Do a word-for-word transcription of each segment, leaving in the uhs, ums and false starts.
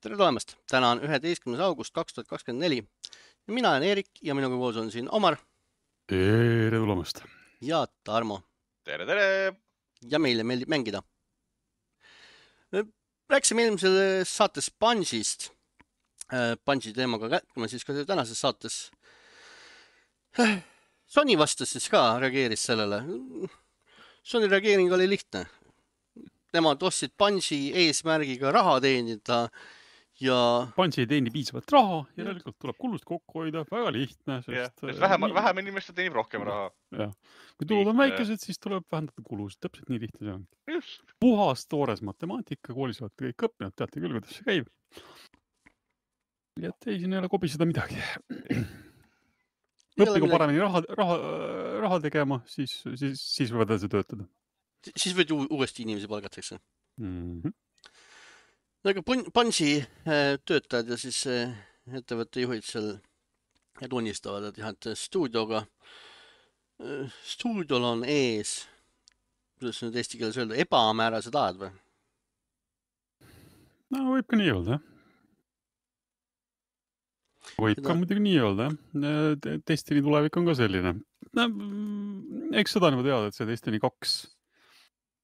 Tere tulemast! Täna on üheteistkümnes august kaks tuhat kakskümmend neli ja mina olen Eerik ja minuga koos on siin Omar Tere tulemast! ja Tarmo. Tere, tere! Ja meile meeldib mängida. Rääksime eelmises saates Bungie'st. Bungie teemaga kätkime siis ka tänases saates. Sony vastas siis ka, reageeris sellele. Sony reageering oli lihtne. Nemad ostsid Bungie eesmärgiga raha teenida ja... Bungie ei teeni piisavalt raha, järelikult tuleb kulust kokku hoida, väga lihtne. Sest, sest vähem, vähem inimest teenib rohkem raha. Ja. Kui tulud on väikesed, siis tuleb vähendada kulusid. Täpselt nii lihtne see on. Just. Puhas toores matemaatika, koolis olete kõik õppinud, teate küll, kuidas see käib. Ja et ei, siin ei ole kobiseda midagi. Õppigu paremini raha, raha, raha tegema, siis, siis, siis võivad edasi töötada. Siis võid uuesti inimesi palgatakse. Mm-hmm. Aga Bungie töötajad ja siis ettevõtte juhid seal tunnistavad, et, jah, et stuudioga, stuudiol on ees, kuidas nüüd eesti keeles öelda, ebamäärased ajad või? No võib ka nii öelda, jah. Võib ka muidugi nii öelda, jah. Destiny tulevik on ka selline. No, eks seda nagu teada, et see Destiny kaks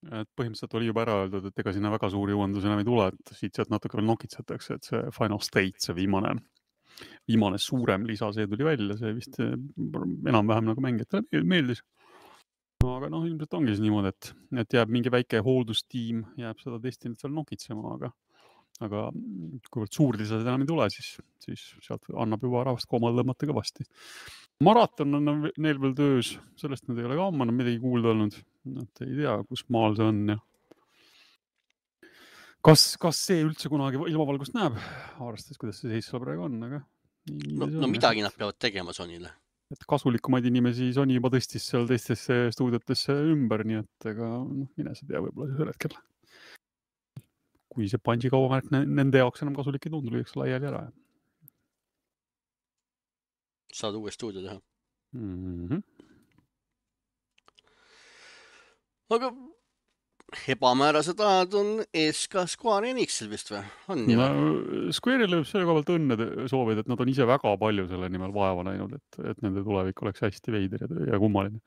et põhimõtteliselt oli juba ära öeldud, et ega sinna väga suuri uuendusi enam ei tule, et siit sealt natuke veel nokitsetakse, et see Final State, see viimane, viimane suurem lisa, see tuli välja, see vist enam-vähem nagu mängijatele meeldis. Aga noh, ilmselt ongi siis niimoodi, et, et jääb mingi väike hooldustiim, jääb seda Destinyt veel nokitsema, aga, aga kuivõrd suur lisad enam ei tule, siis, siis sealt annab juba rahvast koomale tõmmata kõvasti. Maraton on neil veel töös, sellest nad ei ole ka amma midagi kuulda olnud. Et ei tea, kus maal see on. Ja. Kas, kas see üldse kunagi ilmavalgust näeb? Arvestades, kuidas see seis seal praegu on. Aga no, no midagi nad peavad tegema Sonyle. Et kasulikumaid inimesi Sony juba tõstis seal teistesse stuudiotesse ümber, nii et ega noh, mine see tea võib-olla see hetkel. Kui see Bungie kaubamärk nende jaoks enam kasulik ei tundu, lüüks laiali ära. Saad uue stuudio teha. Mm-hmm. Aga ebamäärased ajad on ees ka Square Enixil vist või? On no, Square'ile võib selle koha pealt õnne soovida, et nad on ise väga palju selle nimel vaeva näinud, et, et nende tulevik oleks hästi veider ja, ja kummaline.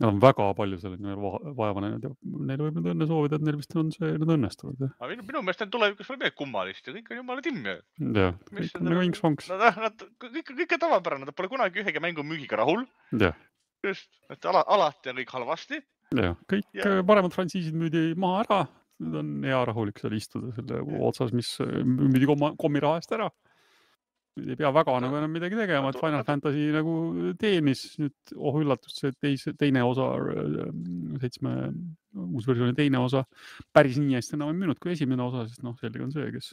Nad on väga palju selle nimel vaeva näinud ja neil võib nüüd õnne soovida, et neil vist on see nüüd õnnestunud. Aga minu, minu meelest on tulevikus veel midagi kummalist ja kõik on jumala timm. Ja, kõik on nagu inks-vonks. Nad, nad, kõik, kõik on tavapärane, nad pole kunagi ühegi mängu müügiga rahul. Ja. Just, et ala, alati on kõik halvasti. Ja, kõik ja. Paremad frantsiisid müüdi maha ära. Nüüd on hea rahulik seal istuda selle ja. Otsas, mis müüdi kommi raha eest ära. Nüüd ei pea väga nagu enam midagi tegema, et Final Fantasy nagu teenis nüüd, oh üllatust, see teise, teine osa, seitsme uus versiooni teine osa, päris nii hästi enam ei müünud kui esimene osa, sest noh, sellega on see, kes,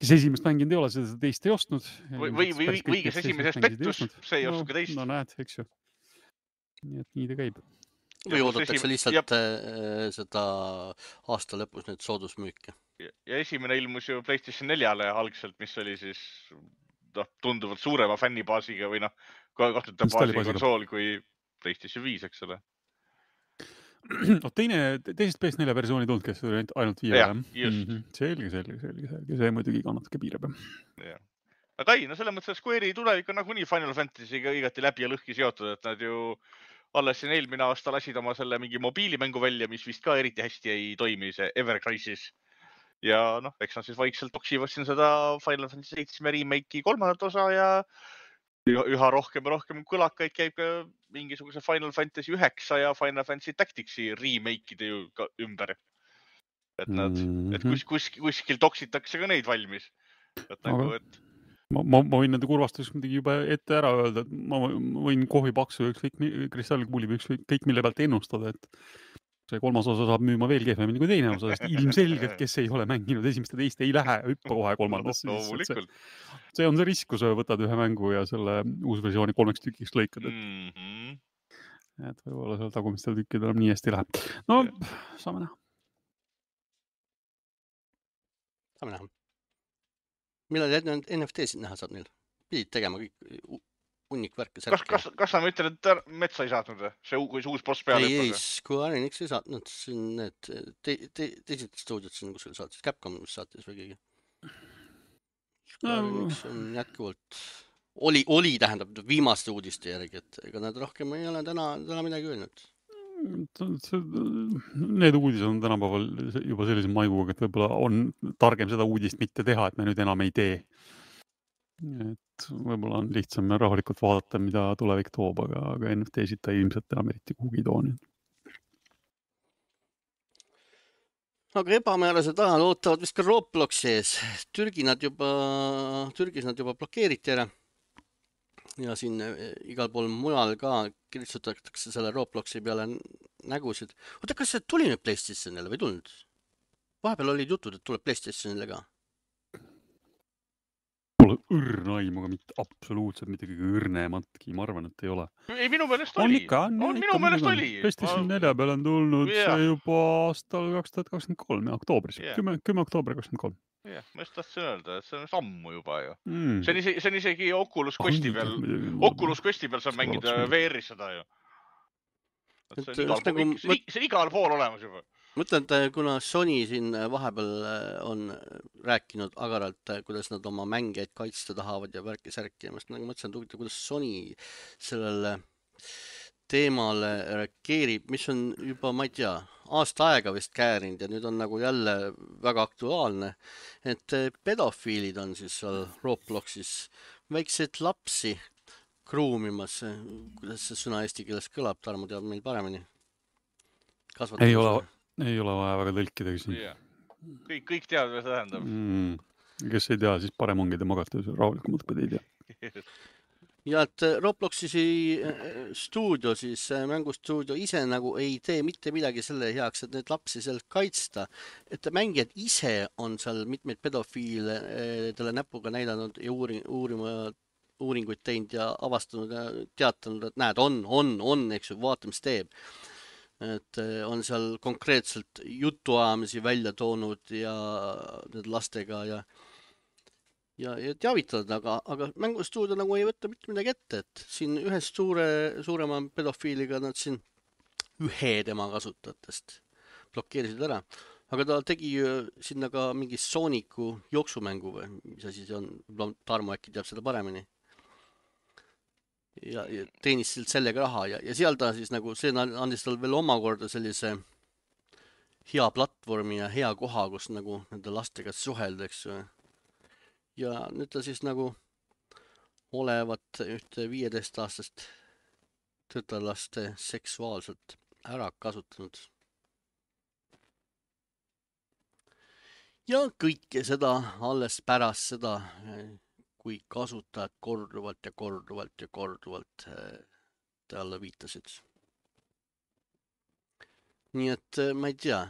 kes esimest mänginud ei ole, seda teist ei ostnud. Või, või, või, või kes esimesest pettus, see ei oska teist. No näed, eks ju. Nii et nii ta käib. Või oodatakse esim... lihtsalt ja... seda aasta lõpus nüüd soodusmüüki. Ja, ja esimene ilmus ju PlayStation neljale algselt, mis oli siis noh, tunduvalt suurema fännibaasiga või noh, kahtluta baasi konsool kui PlayStation viis, eks ole. No, teine, teisest P S neljä versiooni tulnud, kes oli ainult viie. Ja, just. Mm-hmm. Selge, selge, selge, selge. See muidugi kannatake piirab. Ja. Aga ei, no selle mõttes, et Square'i tulevik on nagunii Final Fantasy'ga igati läbi ja lõhki seotud, et nad ju alles siin eelmine aasta lasid oma selle mingi mobiilimängu välja, mis vist ka eriti hästi ei toimi, see Ever Crisis. Ja noh, eks nad siis vaikselt toksivad siin seda Final Fantasy seitsme remake'i kolmandat osa ja üha rohkem ja rohkem kõlakaid käib ka mingisuguse Final Fantasy üheksa ja Final Fantasy Tacticsi remake'ide ju ka ümber. Et nad, mm-hmm. et kus, kus, kuskil toksitakse ka neid valmis. Et nagu, et Ma, ma, ma võin nende kurvastuseks midagi juba ette ära öelda, et ma võin kohvi paksu ükskõik kristallkuuli või ükskõik kõik mille pealt ennustada, et see kolmas osa saab müüma veel kehvemini kui teine osa, sest ilmselgelt, kes ei ole mänginud esimest ja teist, ei lähe hüppa kohe kolmandasse. No, see, see on see risk, kui sa võtad ühe mängu ja selle uus versiooni kolmeks tükiks lõikad. Et, mm-hmm. et võib-olla seal tagumistel tükkidel on nii hästi läheb. No, yeah. saame näha. Saame näha. Millal N F T-sid näha saab neil? Pidid tegema kõik unnik värke. Kas, kas, kas sa mõtled, et metsa ei saatnud? See kui see uus boss peale? Ei, ei, Square Enix ei saatnud. Need te, te, teised stuudiod siin, kus saatis Capcom, mis saatis või keegi. Square Enix on jätkuvalt, oli, oli tähendab viimaste uudiste järgi, et ega nad rohkem ei ole täna, täna midagi öelnud. Need uudised on tänapäeval juba sellise maiguga, et võib-olla on targem seda uudist mitte teha, et me nüüd enam ei tee. Et võib-olla on lihtsam rahulikult vaadata, mida tulevik toob, aga, aga N F T-sid ta ilmselt enam eriti kuhugi too. Aga ebamäärased ajal ootavad vist ka Robloxi ees. Türgi nad juba, Türgis nad juba blokeeriti ära. Ja siin igal pool mujal ka kiritsutatakse selle Robloxi peale nägusid. Oota, kas see tuli nüüd PlayStationile või tulnud? Vahepeal olid jutud, et tuleb PlayStationile ka. Pole õrna aimu, aga mitte absoluutselt mitte kõige õrnematki, ma arvan, et ei ole. Ei, minu meelest on oli. Ikka, on, on, ikka, minu meelest oli. PlayStation nelja peal on tulnud yeah. see juba aastal kaks tuhat kakskümmend kolm ja oktoobris. Yeah. kümme oktoober kakskümmend kolm. Jah, yeah, ma just tahtsin öelda, et see on sammu juba ju. Mm. See, on isegi, see on isegi Oculus Questi peal, Oculus Questi peal saab mängida V R-is seda ju. See on, igal pool, nagu, see, see on igal pool olemas juba. Mõtlen, et kuna Sony siin vahepeal on rääkinud agaralt, kuidas nad oma mängijaid kaitsta tahavad ja värki-särki. Ja ma nagu mõtlesin, et kuidas Sony sellele teemale reageerib, mis on juba, ma ei tea, aasta aega vist käärinud ja nüüd on nagu jälle väga aktuaalne. Et pedofiilid on siis seal Robloxis väikseid lapsi kruumimas. Kuidas see sõna eesti keeles kõlab, Tarmo teab meil paremini. Kasvatab ei ole, ei ole vaja väga tõlkida. Yeah. Kõik, kõik teavad, mida tähendab. Mm. Kes ei tea, siis parem ongi te magate rahulikumalt, kui te ei tea. Ja et Robloxi stuudio, siis mängustuudio ise nagu ei tee mitte midagi selle heaks, et need lapsi sealt kaitsta. Et mängijad ise on seal mitmeid pedofiile talle näpuga näidanud ja uuring, uurima, uuringuid teinud ja avastanud ja teatanud, et näed, on, on, on, eks ju, vaata, mis teeb. Et on seal konkreetselt jutuajamisi välja toonud ja need lastega ja ja, ja teavitavad, aga, aga mängustuudio nagu ei võtta mitte midagi ette, et siin ühest suure, suurema pedofiiliga nad siin ühe tema kasutajatest blokeerisid ära. Aga ta tegi sinna ka mingi Sooniku jooksumängu või mis asi see on, Tarmo äkki teab seda paremini. Ja, ja teenis sellega raha ja, ja seal ta siis nagu, see andis tal veel omakorda sellise hea platvormi ja hea koha, kus nagu nende lastega suhelda, eks ju. Ja nüüd ta siis nagu olevat ühte viieteist aastast tütarlaste seksuaalselt ära kasutanud. Ja kõike seda alles pärast seda, kui kasutajad korduvalt ja korduvalt ja korduvalt talle viitasid. Nii et ma ei tea,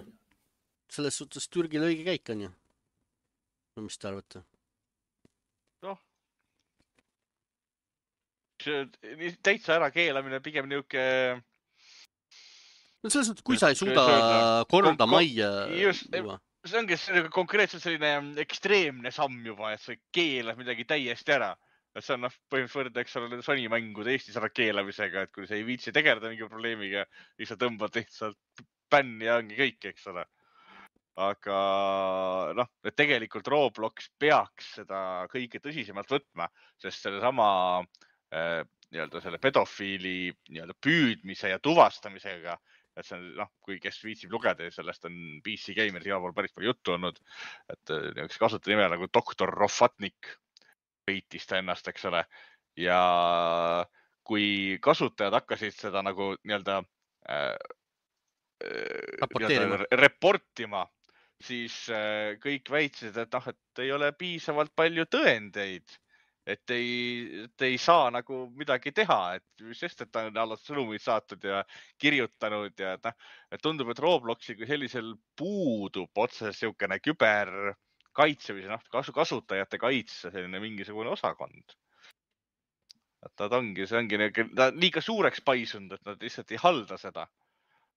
selles suhtes Türgil õige käik on ju. No mis te arvate? Noh, täitsa ära keelamine pigem niuke... No selles suhtes, kui sa ei suuda korda majja... Just, see ongi konkreetselt selline ekstreemne samm juba, et sa keelad midagi täiesti ära. Et see on noh, põhimõtteliselt võrda, eks ole, Sony mängude Eestis ära keelamisega, et kui sa ei viitsi tegeleda mingi probleemiga, siis sa tõmbad lihtsalt bänni ja ongi kõik, eks ole. Aga noh, et tegelikult Roblox peaks seda kõige tõsisemalt võtma, sest selle sama äh, nii-öelda selle pedofiili nii-öelda püüdmise ja tuvastamisega, et see on, noh, kui kes viitsib lugeda, sellest on P C Gameris igal pool päris palju juttu olnud, et üks kasutaja nime nagu doktor Rofatnik võitis ta ennast, eks ole. Ja kui kasutajad hakkasid seda nagu nii-öelda äh, Raporteerima. reportima, siis kõik väitsid, et noh, et ei ole piisavalt palju tõendeid, et ei, et ei saa nagu midagi teha, et sest, et ta on alles sõnumid saatud ja kirjutanud ja et, noh, et tundub, et Robloxi kui sellisel puudub otseselt siukene küberkaitse või noh, kasutajate kaitse selline mingisugune osakond. Et nad ongi, see ongi ta liiga suureks paisunud, et nad lihtsalt ei halda seda.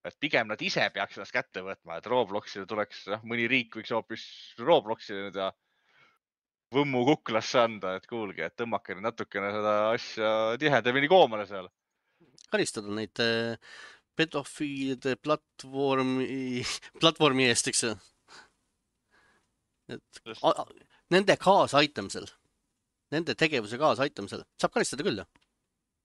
Et pigem nad ise peaks ennast kätte võtma, et Robloxile tuleks, mõni riik võiks hoopis Robloxile nüüd ja võmmu kuklasse anda, et kuulge, et tõmmake natukene seda asja tihedamini koomale seal. Karistada neid pedofiilide platvormi, platvormi eest, eks. Et nende kaasaitamisel, nende tegevuse kaasaitamisel saab karistada küll.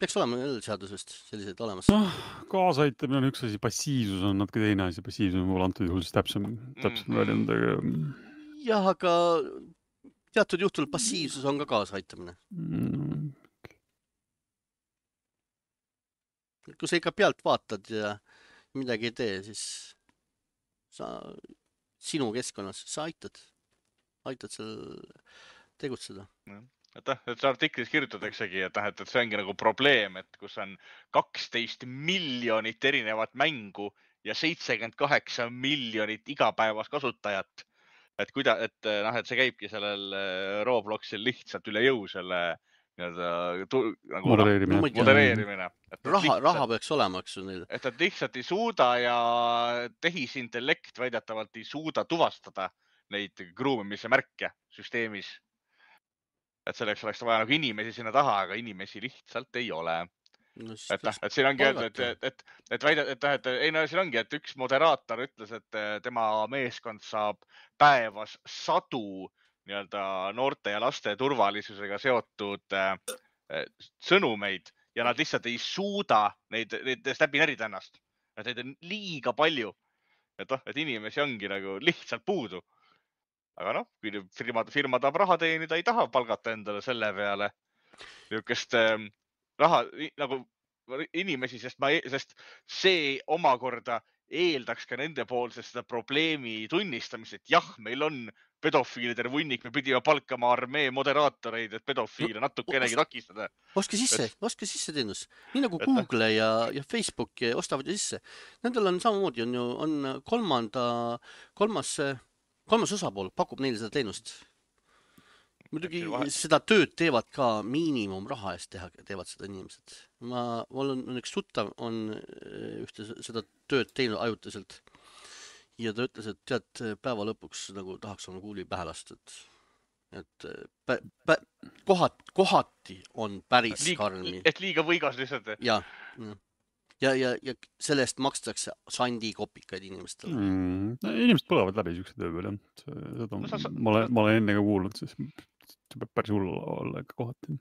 Peaks olema jälle seadusest sellised olemas. noh, kaasaitamine on üks asi, passiivsus on natuke teine asi, passiivsus on mul antud juhul siis täpsem, täpsem väljend, aga jah, aga teatud juhtul passiivsus on ka kaasaitamine. mm, Kui sa ikka pealt vaatad ja midagi ei tee, siis sa, sinu keskkonnas, sa aitad, aitad seal tegutseda. et noh, et see artiklis kirjutataksegi, et, et, et see ongi nagu probleem, et kus on kaksteist miljonit erinevat mängu ja seitsekümmend kaheksa miljonit igapäevast kasutajat. Et kuida, et noh, et see käibki sellel Robloxil lihtsalt üle jõu selle nagu modereerimine. No, modereerimine. Et raha, lihtsalt, raha peaks olema, eks neil. et nad lihtsalt ei suuda ja tehisintellekt väidetavalt ei suuda tuvastada neid gruumimise märke süsteemis. Et selleks oleks vaja nagu inimesi sinna taha, aga inimesi lihtsalt ei ole. No, et, et siin ongi öeldud, et, et, et väidad, et, et, et ei no siin ongi, et üks moderaator ütles, et tema meeskond saab päevas sadu nii-öelda noorte ja laste turvalisusega seotud äh, sõnumeid ja nad lihtsalt ei suuda neid, neid läbi närida ennast. Et neid on liiga palju. Et, oh, et inimesi ongi nagu lihtsalt puudu. Aga noh, kui firma, firma tahab raha teenida, ei taha palgata endale selle peale niisugust äh, raha nagu inimesi, sest, ma, sest see omakorda eeldaks ka nende poolsest seda probleemi tunnistamist, et jah, meil on pedofiilide vunnik, me pidime palkama armee moderaatoreid, et pedofiile no, natukenegi takistada. Oske sisse, et... oske sisse teenus. Nii nagu Google et... ja, ja Facebook ostavad ju sisse. Nendel on samamoodi, on ju on kolmanda, kolmas, kolmas osapool pakub neile seda teenust. Muidugi seda tööd teevad ka miinimum raha eest teha, teevad seda inimesed. Ma, mul on, on üks tuttav, on ühte seda tööd teinud ajutiselt. Ja ta ütles, et tead, päeva lõpuks nagu tahaks oma kuuli pähe lasta. Et, et pä, pä, kohat, kohati on päris Liig, karmi. Et liiga võigas lihtsalt. Ja, ja, ja, ja selle eest makstakse sandi kopikaid inimestele. Mm, inimesed põlevad läbi siukse töö peal, jah. Seda no, sa, ma, olen, ma olen enne ka kuulnud, siis see peab päris hull olla ikka kohati.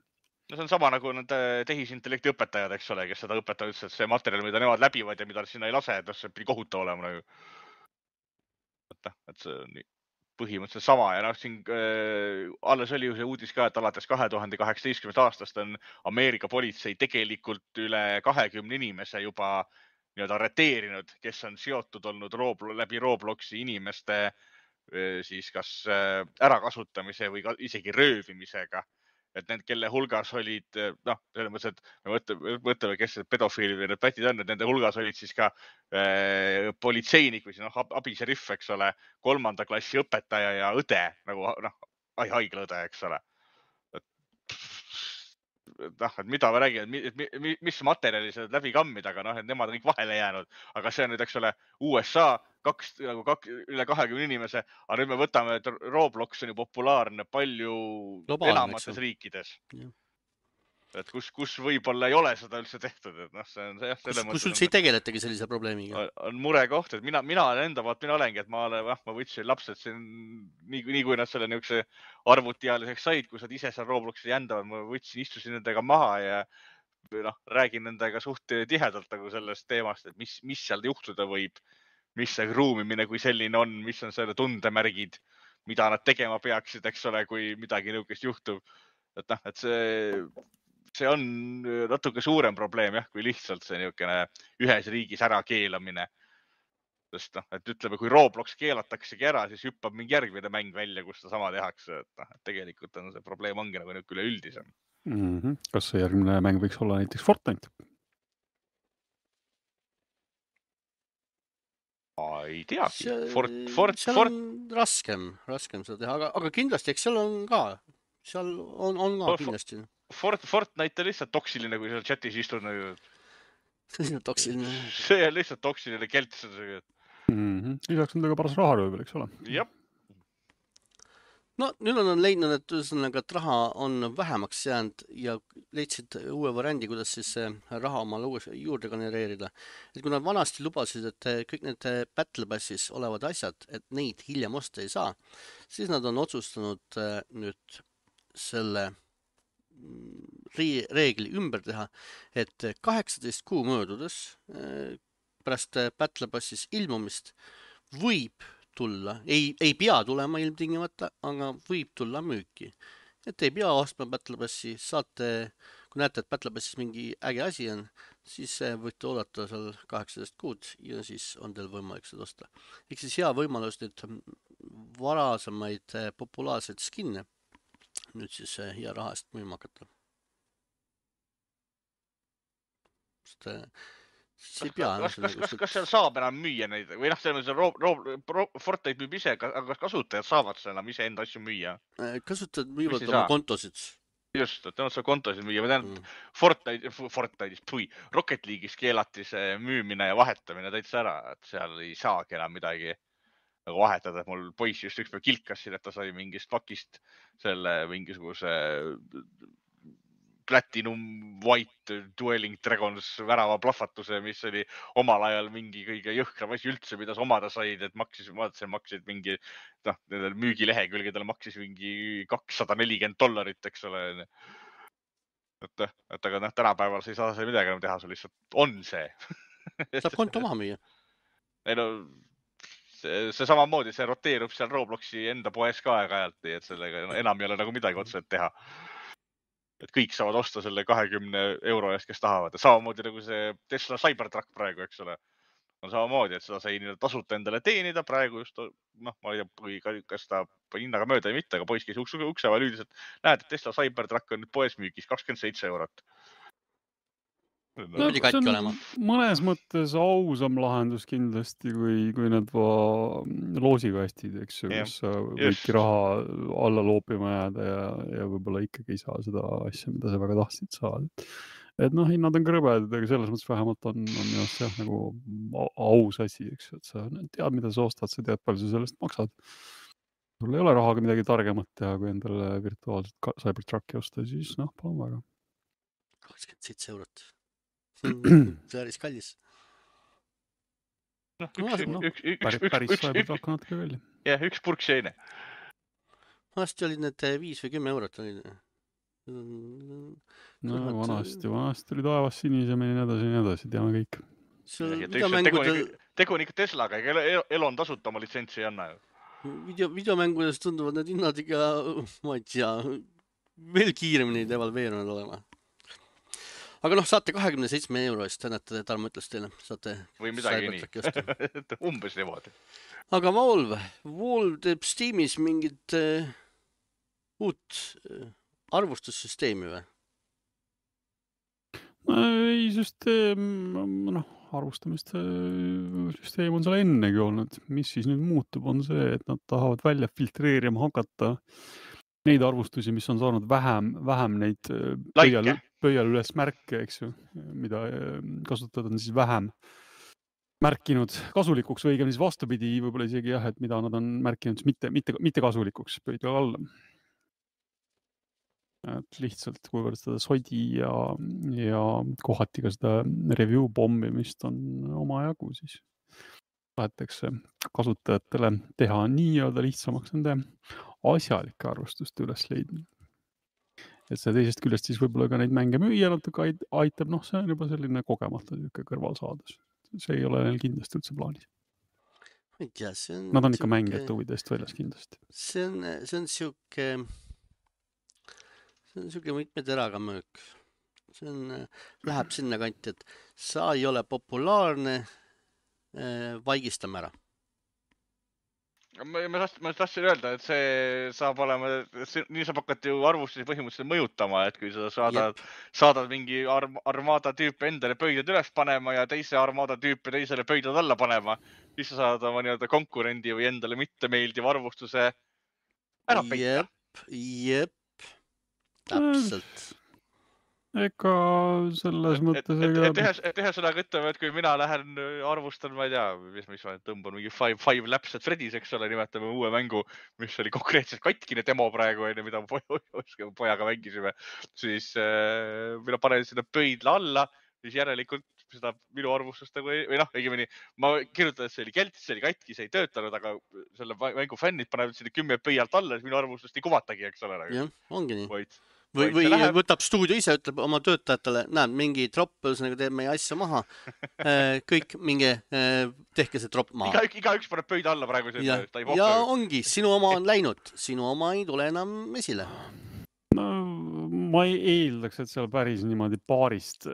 No see on sama nagu need tehisintellekti õpetajad, eks ole, kes seda õpetavad üldse, et see materjal, mida nemad läbivad ja mida sinna ei lase, et see pidi kohutav olema nagu. Et, et see on põhimõtteliselt sama ja noh, siin äh, alles oli ju see uudis ka, et alates kahe tuhande kaheksateistkümnendast aastast on Ameerika politsei tegelikult üle kahekümne inimese juba nii-öelda arreteerinud, kes on seotud olnud Roblo, läbi Robloxi inimeste siis kas ärakasutamise või ka isegi röövimisega. Et need, kelle hulgas olid, noh, selles mõttes, et me mõtleme, mõtleme kes pedofiili või need pätid on, et nende hulgas olid siis ka äh, politseinik või siis noh, abiseriff, eks ole, kolmanda klassi õpetaja ja õde, nagu noh, haiglaõde, eks ole. noh, et mida me räägime, et mis materjali seda läbi kammida, aga noh, et nemad on kõik vahele jäänud. Aga see on nüüd, eks ole, U S A, kaks, nagu kaks, üle kahekümne inimese, aga nüüd me võtame, et Roblox on ju populaarne palju globaalne, enamates riikides. Ja. Et kus, kus võib-olla ei ole seda üldse tehtud, et noh, see on see, kus, kus üldse ei tegeletagi sellise probleemiga. On, on mure koht, et mina, mina olen enda poolt, mina olengi, et ma olen, jah, ma võtsin lapsed siin, nii, nii kui nad selle niisuguse arvutiaaliseks said, kus nad ise seal Robloxi jändavad, ma võtsin, istusin nendega maha ja noh, räägin nendega suht tihedalt nagu sellest teemast, et mis, mis seal juhtuda võib, mis see ruumimine kui selline on, mis on selle tundemärgid, mida nad tegema peaksid, eks ole, kui midagi niisugust juhtub. Et noh, et see see on natuke suurem probleem, jah, kui lihtsalt see niisugune ühes riigis ära keelamine. Sest noh, et ütleme, kui Roblox keelataksegi ära, siis hüppab mingi järgmine mäng välja, kus ta sama tehakse. Et, noh, et tegelikult on see probleem ongi nagu üle üldisem. Mm-hmm. Kas see järgmine mäng võiks olla näiteks Fortnite? Ma ei teagi. Fort, Fort, seal Fort... on raskem, raskem seda teha, aga, aga kindlasti, eks seal on ka, seal on, on ka kindlasti. Fort, Fortnite on lihtsalt toksiline, kui seal chatis istud. Nagu... see on toksiline. See on lihtsalt toksiline kelts. Mm-hmm. Lisaks on ta ka paras raharöövel, eks ole? Jah. no nüüd on nad leidnud, et ühesõnaga, et raha on vähemaks jäänud ja leidsid uue variandi, kuidas siis see raha omale uues juurde genereerida. Et kui nad vanasti lubasid, et kõik need Battle Passis olevad asjad, et neid hiljem osta ei saa, siis nad on otsustanud äh, nüüd selle mm, ri- reegli ümber teha, et kaheksateist kuu möödudes äh, pärast äh, Battle Passis ilmumist võib tulla, ei, ei pea tulema ilmtingimata, aga võib tulla müüki. Et ei pea ostma Battle Passi, saate, kui näete, et Battle Passis mingi äge asi on, siis eh, võite oodata seal kaheksateist kuud ja siis on teil võimalik seda osta. Ehk siis hea võimalus nüüd varasemaid eh, populaarseid skinne nüüd siis eh, hea raha eest müüma hakata. Sest eh, siis ei Kas, pea kas, kas, ühesõnaga kas, sul- kas seal saab enam müüa neid või noh, selles mõttes Ro- Ro- Ro- Fortnite müüb ise, aga kas kasutajad saavad seal enam iseenda asju müüa? eh, kasutajad Mis müüvad ei oma saa? kontosid. Just, et nad seal kontosid müüa. Ma tean, Mm. et Fortnite, Fortnite'is, pui, Rocket League'is keelati see müümine ja vahetamine täitsa ära, et seal ei saagi enam midagi nagu vahetada. Et mul poiss just ükspäev kilkas siin, et ta sai mingist pakist selle mingisuguse Platinum White Dueling Dragons värava plahvatuse, mis oli omal ajal mingi kõige jõhkram asi üldse, mida sa omada said, et maksis, vaatasin, maksid mingi, noh, nendel müügilehekülgedel maksis mingi kakssada nelikümmend dollarit, eks ole. Et, et aga noh, tänapäeval sa ei saa see midagi enam teha, sul lihtsalt on see. Saab konto maha müüa. Ei no, see, see samamoodi, see roteerub seal Robloxi enda poes ka aeg-ajalt, nii et sellega enam ei ole nagu midagi otseselt teha. Et kõik saavad osta selle kahekümne euro eest, kes tahavad. Samamoodi nagu see Tesla Cybertruck praegu, eks ole. On samamoodi, et seda sai tasuta endale teenida praegu just, noh, ma ei tea, kas ta hinnaga mööda või mitte, aga poiss käis ukse vahel üldiselt. Näed, et Tesla Cybertruck on nüüd poes müügis kakskümmend seitse eurot. No, see on olema. mõnes mõttes ausam lahendus kindlasti, kui, kui need loosikastid, eks ju, kus sa võidki raha alla loopima jääda ja, ja võib-olla ikkagi ei saa seda asja, mida sa väga tahtsid saada. Et noh, hinnad on krõbedad, aga selles mõttes vähemalt on, on minu arust jah, nagu aus asi, eks ju, et sa tead, mida sa ostad, sa tead, palju sa sellest maksad. Sul ei ole rahaga midagi targemat teha, kui endale virtuaalselt Cybertrucki osta, siis noh, palun väga. kakskümmend seitse eurot. Päris kallis. No, üks, no, üks, üks, päris, üks, päris üks, üks, natuke välja. Jah, üks purk seine. Vanasti olid need viis või kümme eurot. Olid. No vanasti, vanasti oli taevas sinisemini ja edasi ja edasi, teame kõik. Videomängudel... Tegu on ikka Teslaga, ega Elon tasuta oma litsentsi ei anna ju. Video, videomängudes tunduvad need hinnad ikka, ma ei tea, veel kiiremini devalveerunud olema. Aga noh, saate kahekümne seitsme euro eest, näete, Tarmo ütles teile, saate või midagi nii, umbes niimoodi. Aga Valve, Valve teeb Steamis mingit uh, uut uh, arvustussüsteemi või? Ei, süsteem, noh, arvustamist süsteem on seal ennegi olnud. Mis siis nüüd muutub, on see, et nad tahavad välja filtreerima hakata neid arvustusi, mis on saanud vähem, vähem neid pöial, pöial üles märke, eks ju, mida kasutada on siis vähem märkinud kasulikuks või õigem siis vastupidi, võib-olla isegi jah, et mida nad on märkinud mitte, mitte, mitte kasulikuks pöidla alla. Et lihtsalt, kuivõrd seda sodi ja, ja kohati ka seda review pommimist on omajagu, siis tahetakse kasutajatele teha nii-öelda lihtsamaks nende asjalike arvustuste üles leidmine. Et see teisest küljest siis võib-olla ka neid mänge müüa natuke aitab, noh, see on juba selline kogemata kõrvalsaadus. See ei ole neil kindlasti üldse plaanis. Ma ei tea, see on... Nad on ikka mängijate huvidest väljas kindlasti. See on, see on siuke... See on siuke mitme teraga möök. See on, läheb sinna kanti, et sa ei ole populaarne, vaigistame ära. Ma, ma, tahtsin, ma tahtsin öelda, et see saab olema, nii saab hakata ju arvustusi põhimõtteliselt mõjutama, et kui sa saadad, saadad mingi arm, armada tüüpe endale pöidlad üles panema ja teise armada tüüpe teisele pöidlad alla panema, siis sa saad oma nii-öelda konkurendi või endale mitte meeldiva arvustuse ära peita. Jep, jep, täpselt. ega selles et, mõttes et, ega... et, et, et ühesõnaga ütleme, et kui mina lähen arvustan, ma ei tea, mis, mis ma tõmban mingi Five, five Laps at Freddy's, eks ole, nimetame uue mängu, mis oli konkreetselt katkine demo praegu, mida me pojaga mängisime, siis äh, mina panen sinna pöidla alla, siis järelikult seda minu arvustust nagu ei, või noh, õigemini ma kirjutan, et see oli kelts, see oli katki, see ei töötanud, aga selle mängu fännid panevad sinna kümme pöialt alla, siis minu arvustust ei kuvatagi, eks ole. Jah, ongi nii. Vaid, või vaid või läheb... võtab stuudio ise, ütleb oma töötajatele, näed, mingi tropp, ühesõnaga teeb meie asja maha. Kõik mingi, tehke see tropp maha. Iga, igaüks paneb pöida alla praegu. Ja, ja ongi, sinu oma on läinud, sinu oma ei tule enam esile. No, ma ei eeldaks, et seal päris niimoodi paarist,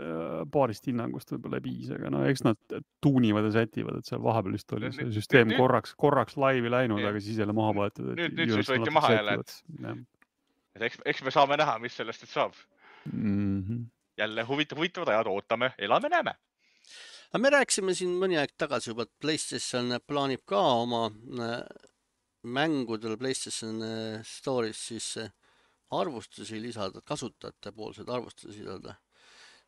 paarist hinnangust võib-olla piis, aga no eks nad tuunivad ja sätivad, et seal vahepeal vist oli see süsteem nüüd, korraks, korraks laivi läinud, jah. Aga siis jälle maha võetud. Nüüd, nüüd siis võeti maha jälle. Et eks, eks me saame näha, mis sellest et saab. Mm-hmm. Jälle huvitav, huvitavad ajad, ootame, elame, näeme. Me rääkisime siin mõni aeg tagasi juba, et PlayStation plaanib ka oma mängudel PlayStation Store'is siis arvustusi lisada, kasutajate poolsed arvustusi lisada.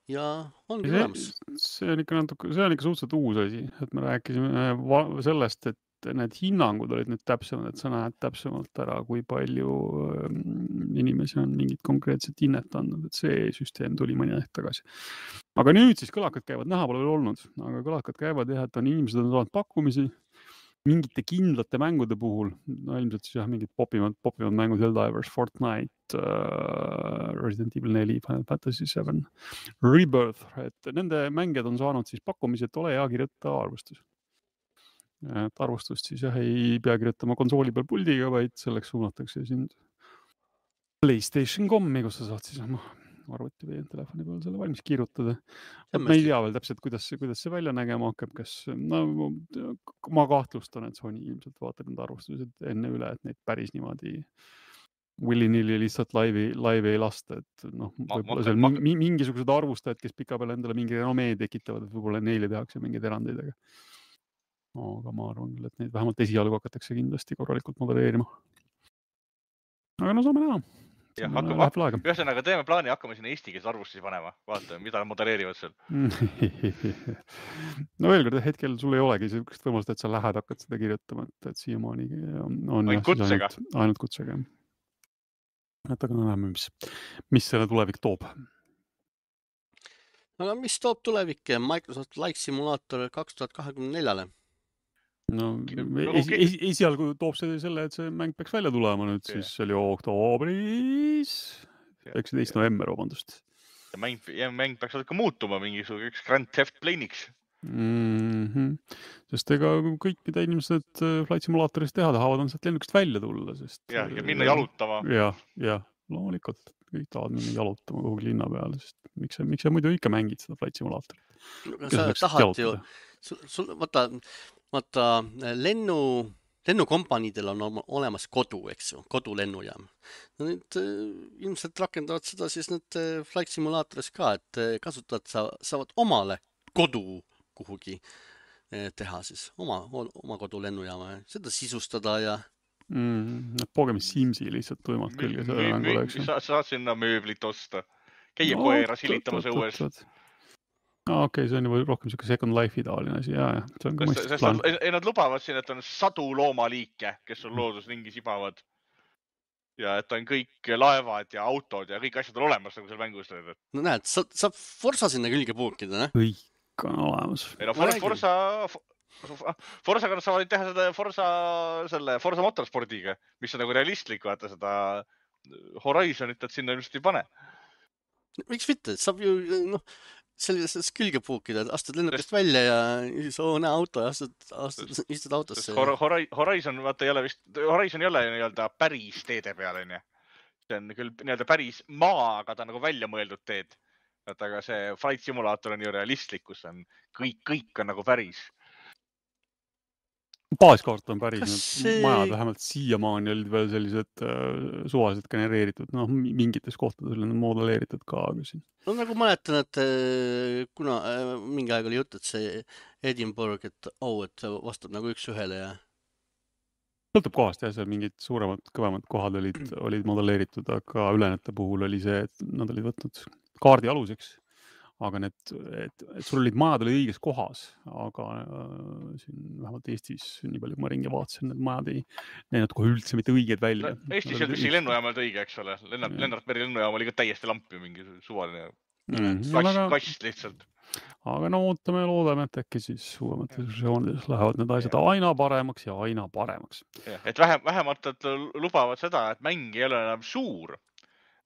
Ja ongi olemas. See on ikka natuke, see on ikka suhteliselt uus asi, et me rääkisime sellest, et need hinnangud olid nüüd täpsemad, et sa näed täpsemalt ära, kui palju inimesi on mingit konkreetset hinnet andnud, et see süsteem tuli mõni aeg tagasi. Aga nüüd siis kõlakad käivad, näha pole veel olnud, aga kõlakad käivad jah, et on inimesed on saanud pakkumisi mingite kindlate mängude puhul, no ilmselt siis jah, mingid popimad, popimad mängud, Helldivers, Fortnite, uh, Resident Evil neli, Final Fantasy seven, Rebirth, et nende mängijad on saanud siis pakkumisi, et ole hea kirjuta arvustus. Et arvustust siis jah, ei pea kirjutama konsooli peal puldiga, vaid selleks suunatakse sind PlayStation dot com-i, kus sa saad siis oma arvuti või telefoni peal selle valmis kirjutada. Me ei tea veel täpselt, kuidas see, kuidas see välja nägema hakkab, kas no, ma kahtlustan, et Sony ilmselt vaatab need arvustused enne üle, et neid päris niimoodi willy-nilly lihtsalt laivi, laivi ei lasta, et noh, võib-olla seal ma... mingisugused arvustajad, kes pika peale endale mingi renomee tekitavad, et võib-olla neile tehakse mingeid erandeid, aga aga ma arvan küll, et neid vähemalt esialgu hakatakse kindlasti korralikult modelleerima. Aga no saame näha. Ja, hakkame, ühesõnaga teeme plaani, hakkame sinna eesti keeles arvustusi panema. Vaatame, mida modelleerivad seal. No veel kord, hetkel sul ei olegi sellist võimalust, et sa lähed, hakkad seda kirjutama, et, et siiamaani on, on ainult kutsega. Ainult, ainult kutsega. Et aga näeme, mis, mis selle tulevik toob. Aga mis toob tulevik Microsoft Flight Simulator kaks tuhat kakskümmend neli? No, es, es, esialgu toob see selle, et see mäng peaks välja tulema nüüd, yeah. Siis oli oktoobris, üheksateistkümnes november, vabandust. Ja mäng, ja mäng peaks ka muutuma mingisuguseks Grand Theft Plane'iks. Mm-hmm. Sest ega kõik, mida inimesed Flight Simulatoris teha tahavad, on sealt lennukist välja tulla. Sest, ja, ja minna jalutama. Ja, ja, loomulikult kõik tahavad minna jalutama kuhugi linna peale, sest miks sa, miks sa muidu ikka mängid seda Flight Simulatorit? Sa tahad ju, sul, sul, vaata, vaata lennu, lennukompaniidel on olemas kodu, eks ju, kodulennujaam. No nüüd ilmselt rakendavad seda siis need Flight Simulatoris ka, et kasutajad sa, saavad omale kodu kuhugi teha siis, oma, oma kodulennujaama, seda sisustada ja mm, pogemi Simsi lihtsalt tuimalt külge selle mängule, eks ju. Sa saad sinna mööblit osta, käia no, koera silitamas õues. No, okei, okay, see on juba rohkem siuke Second Life'i taoline asi, jaa, jah. See on ka mõistlik plaan. Ei, nad lubavad siin, et on sadu loomaliike, kes on loodusringi sibavad. Ja et on kõik laevad ja autod ja kõik asjad on olemas nagu seal mängus. No näed, sa, saab Forza sinna külge puukida, ne? Kõik on olemas. Ei no For, Forza, Forza kannad saavad teha seda Forza, selle Forza Motorspordiga, mis on nagu realistlik, vaata seda Horizonit, et sinna ilmselt ei pane. Miks mitte? Saab ju, noh, sellises külge puukida, astud lennukist välja ja siis oo, näe auto ja astud, astud, istud autosse. Hor, Horizon, vaata, ei ole vist, Horizon ei ole nii-öelda päris teede peal, on ju. See on küll nii-öelda päris maa, aga ta on nagu välja mõeldud teed. Et aga see Flight Simulator on ju realistlik, kus on kõik, kõik on nagu päris. Baaskaart on päris, see... majad vähemalt siiamaani olid veel sellised äh, suvaliselt genereeritud, noh, mingites kohtades on modelleeritud ka, aga siin. No nagu mäletan, et kuna äh, mingi aeg oli jutt, et see Edinburgh, et oh, et vastab nagu üks ühele ja... Sõltub kohast, jah, seal mingid suuremad, kõvemad kohad olid, olid modelleeritud, aga ülejäänud puhul oli see, et nad olid võtnud kaardi aluseks. Aga need, et, et sul olid majad oli õiges kohas, aga äh, siin vähemalt Eestis nii palju, kui ma ringi vaatasin, need majad ei näinud kohe üldse mitte õiged välja. No, Eestis ei püsi lennujaamalt õige, eks ole. Lennart, Lennart Meri lennujaam oli ka täiesti lamp ju mingi suvaline Mm, kast, aga, kast lihtsalt. aga no ootame ja loodame, et äkki siis uuemates versioonides lähevad need asjad aina paremaks ja aina paremaks. Ja, et vähem, vähemalt et lubavad seda, et mäng ei ole enam suur.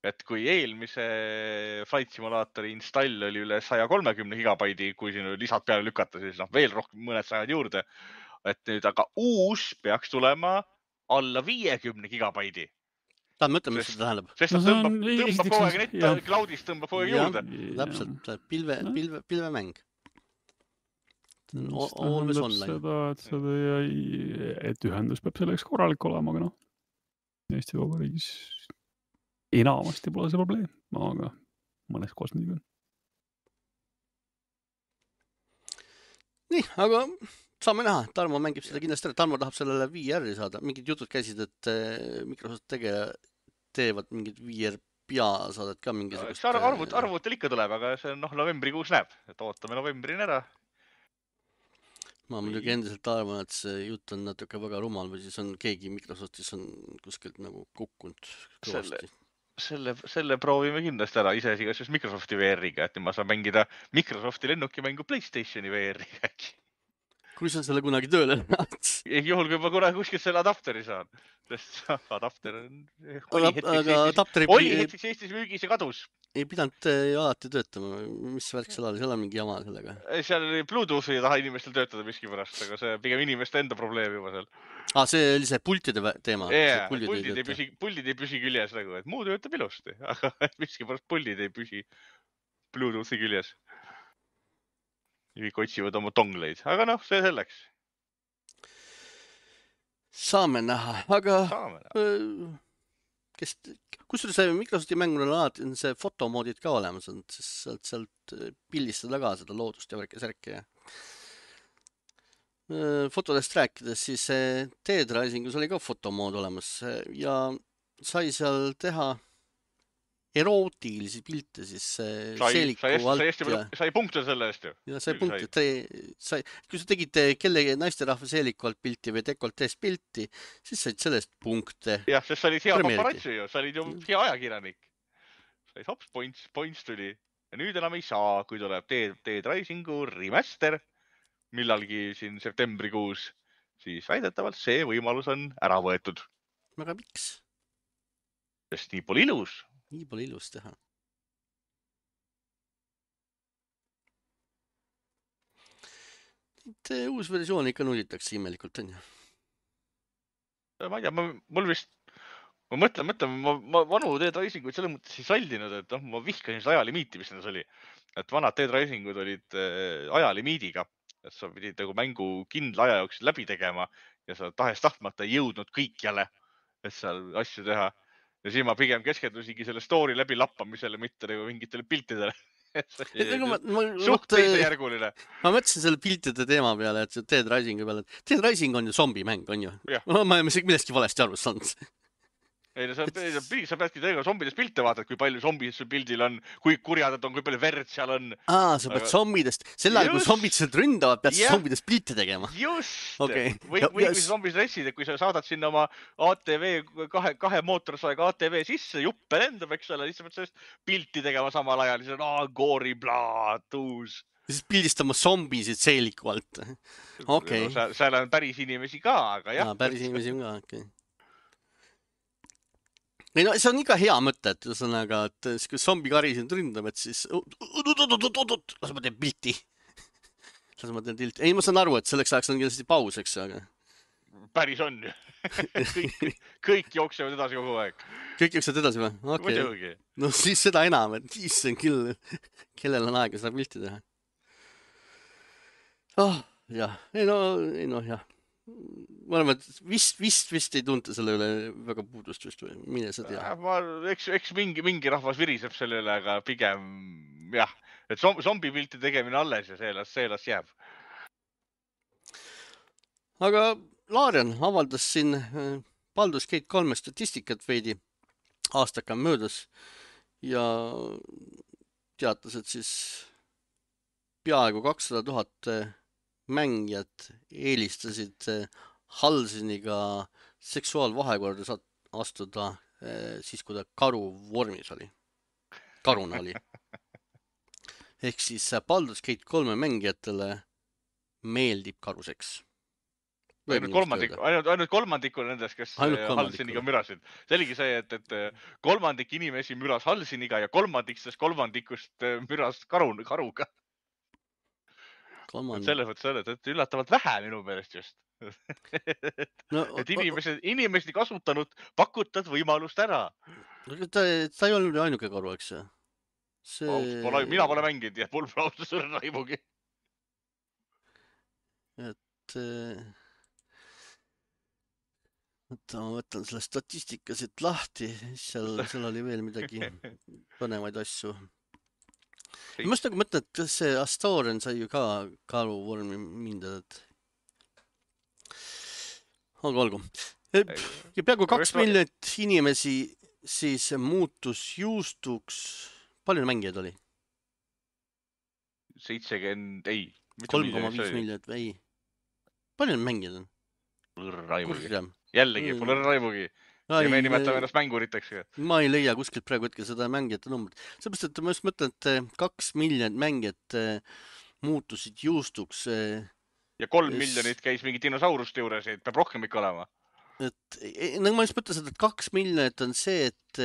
Et kui eelmise Flight Simulaatori install oli üle saja kolmekümne gigabaidi, kui siin lisad peale lükata, siis noh, veel rohkem mõned sajad juurde. Et nüüd aga uus peaks tulema alla viiekümne gigabaidi. Ta mõtle, mis seda tähendab. Sest ta No see on- tõmbab, tõmbab esiteks kogu on- aeg netta, jah. cloudist tõmbab kogu aeg Jah. juurde. Täpselt, pilve, No. pilve, pilvemäng. Mis Always tähendab online. seda, et, seda ei, et ühendus peab selleks korralik olema, aga noh, Eesti Vabariigis enamasti pole see probleem, aga mõnes kohas muidugi on. Nii, aga saame näha. Tarmo mängib seda kindlasti ära. Tarmo tahab sellele V R-i saada. Mingid jutud käisid, et eh, Microsoft tege, teevad mingid V R peasaadet ka mingisugust. Eks arv- arvut, arvutel ikka tuleb, aga see on noh, novembrikuus näeb. Et ootame novembrini ära. Ma muidugi endiselt arvan, et see jutt on natuke väga rumal või siis on keegi Microsoftis on kuskilt nagu kukkunud kõvasti. Selle, selle proovime kindlasti ära ise igasuguse Microsofti V R-iga, et nüüd ma saan mängida Microsofti lennukimängu PlayStationi V R-iga äkki. Kui sa selle kunagi tööle näed. Juhul, kui ma kunagi kuskilt selle adapteri saan. Sest adapter on... Aga, aga adapteri oli hetkeks Eestis müügis ja kadus. ei pidanud ju alati töötama. Mis värk seal oli? Seal on mingi jama sellega. Seal oli Bluetoothi ei taha inimestel töötada miski pärast, aga see pigem inimeste enda probleem juba seal. Ah, see oli see pultide teema. Yeah, puldid, ei püsi, puldid ei püsi küljes nagu, et muu töötab ilusti, aga miski pärast puldid ei püsi Bluetoothi küljes. Ja kõik otsivad oma tongleid, aga noh, see selleks. Saame näha, aga Saame näha. öö, kes, kusjuures see Microsofti mängur on alati on see fotomoodid ka olemas, on sealt, sealt pildistada ka seda loodust ja värke särke. Fotodest rääkides, siis Dead Risingus oli ka fotomood olemas ja sai seal teha erootilisi pilte siis Sai, seeliku sai, alt sai, sai, ja, sai punkte selle eest ju. ja sai Küll punkti, et sai, kui sa tegid kellegi naisterahva seeliku alt pilti või dekolteest pilti, siis said sellest punkte. Jah, sest sa olid hea Premeeriti. paparatsi ju, sa olid ju hea ajakirjanik. Said hops, points, points tuli. Ja nüüd enam ei saa, kui tuleb Dead, Dead Risingu remaster millalgi siin septembrikuus, siis väidetavalt see võimalus on ära võetud. Aga miks? Sest nii pole ilus. Nii pole ilus teha. Et uus versioon ikka nullitakse imelikult, on ju. Ma ei tea, ma, mul vist, ma mõtlen, mõtlen, ma, ma vanu Dead Risinguid selles mõttes ei sallinud, et noh, ma vihkasin seda ajalimiiti, mis nendes oli. Et vanad Dead Risingud olid äh, ajalimiidiga, et sa pidid nagu mängu kindla aja jooksul läbi tegema ja sa tahes tahtmata ei jõudnud kõikjale, et seal asju teha. Ja siis ma pigem keskendusingi selle story läbi lappamisele, mitte nagu mingitele piltidele. Ma, ma, Suht teisejärguline. ma mõtlesin selle piltide teema peale, et Dead Risingu peale, et Dead Rising on ju zombimäng, on ju? Jah. Ma ei millestki valesti aru saanud. Ei, no sa, sa peadki tegema zombidest pilte vaatad, kui palju zombidest sul pildil on, kui kurjad on, kui palju verd seal on. Aa, sa pead Aga... zombidest, sel ajal, kui zombid sealt ründavad, pead Yeah. zombidest pilte tegema. Just! Okay. Või, Ja- või ja- kui sa zombis ressid, et kui sa saadad sinna oma A T V, kahe, kahe mootorsaega A T V sisse, juppe lendab, eks ole, siis sa pead sellest pilti tegema samal ajal, siis on aa, goori, blaa, tuus. Ja siis pildistama zombisid seeliku alt. Okei. No, seal, seal on päris inimesi ka, aga jah. Jaa, päris inimesi on ka, okei. Okay. Ei no see on ikka hea mõte, et ühesõnaga, et kui zombikari sind ründab, et siis las ma teen pilti. Las ma teen pilti. Ei, ma saan aru, et selleks ajaks on kindlasti paus, eks, aga Päris on ju. kõik, kõik jooksevad edasi kogu aeg. kõik jooksevad edasi või? Okei. Muidugi. No siis seda enam, et issand küll, kellel on aega seda pilti teha. Oh, jah. Ei no, ei no, jah. Ma arvan, et vist, vist, vist ei tunta selle üle väga puudust just või mine sa tea. Ma, eks, eks mingi, mingi rahvas viriseb selle üle, aga pigem jah, et zombi pilti tegemine alles ja see las, see las jääb. Aga Larian avaldas siin Baldur's Gate kolme statistikat veidi aastaka möödas ja teatas, et siis peaaegu kakssada tuhat mängijat eelistasid Halsiniga seksuaalvahekorda saat- astuda eh, siis, kui ta karu vormis oli. Karuna oli. Ehk siis äh, Baldur's Gate kolme mängijatele meeldib karuseks. Võib Ainult niimoodi kolmandik, öelda. ainult, ainult kolmandiku nendest, kes Ainult äh, kolmandikule. Halsiniga mürasid. See oligi see, et, et äh, kolmandik inimesi müras Halsiniga ja kolmandik sellest kolmandikust äh, müras karu, karuga. Et Kolmand... selles mõttes oled, et üllatavalt vähe minu meelest just. No, et inimesed, inimesed ei kasutanud pakutad võimalust ära. aga ta, ta ei olnud ju ainuke karu, eks see? Ausalt, pole, mina pole mänginud ja mul pole ausalt sulle raimugi. Et äh, võtta, ma võtan selle statistika siit lahti, seal, seal oli veel midagi põnevaid asju. Ma just nagu mõtlen, et kas see Astorian sai ju ka karu vormi mindad, et olgu, olgu. Ja peaaegu kaks miljonit inimesi siis muutus juustuks. Palju mängijaid oli? seitsekümmend, ei. kolm koma viis miljonit või ei? Palju mängijad on? Raimugi. Jällegi, pole raimugi. Ja me nimetame ennast mänguriteks. Ma ei leia kuskilt praegu hetkel seda mängijate numbrit. Seepärast, et ma just mõtlen, et kaks miljonit mängijat muutusid juustuks. Ja kolm miljonit käis mingi dinosauruste juures, et peab rohkem ikka olema. Et, nagu ma just mõtlen seda, et kaks miljonit on see, et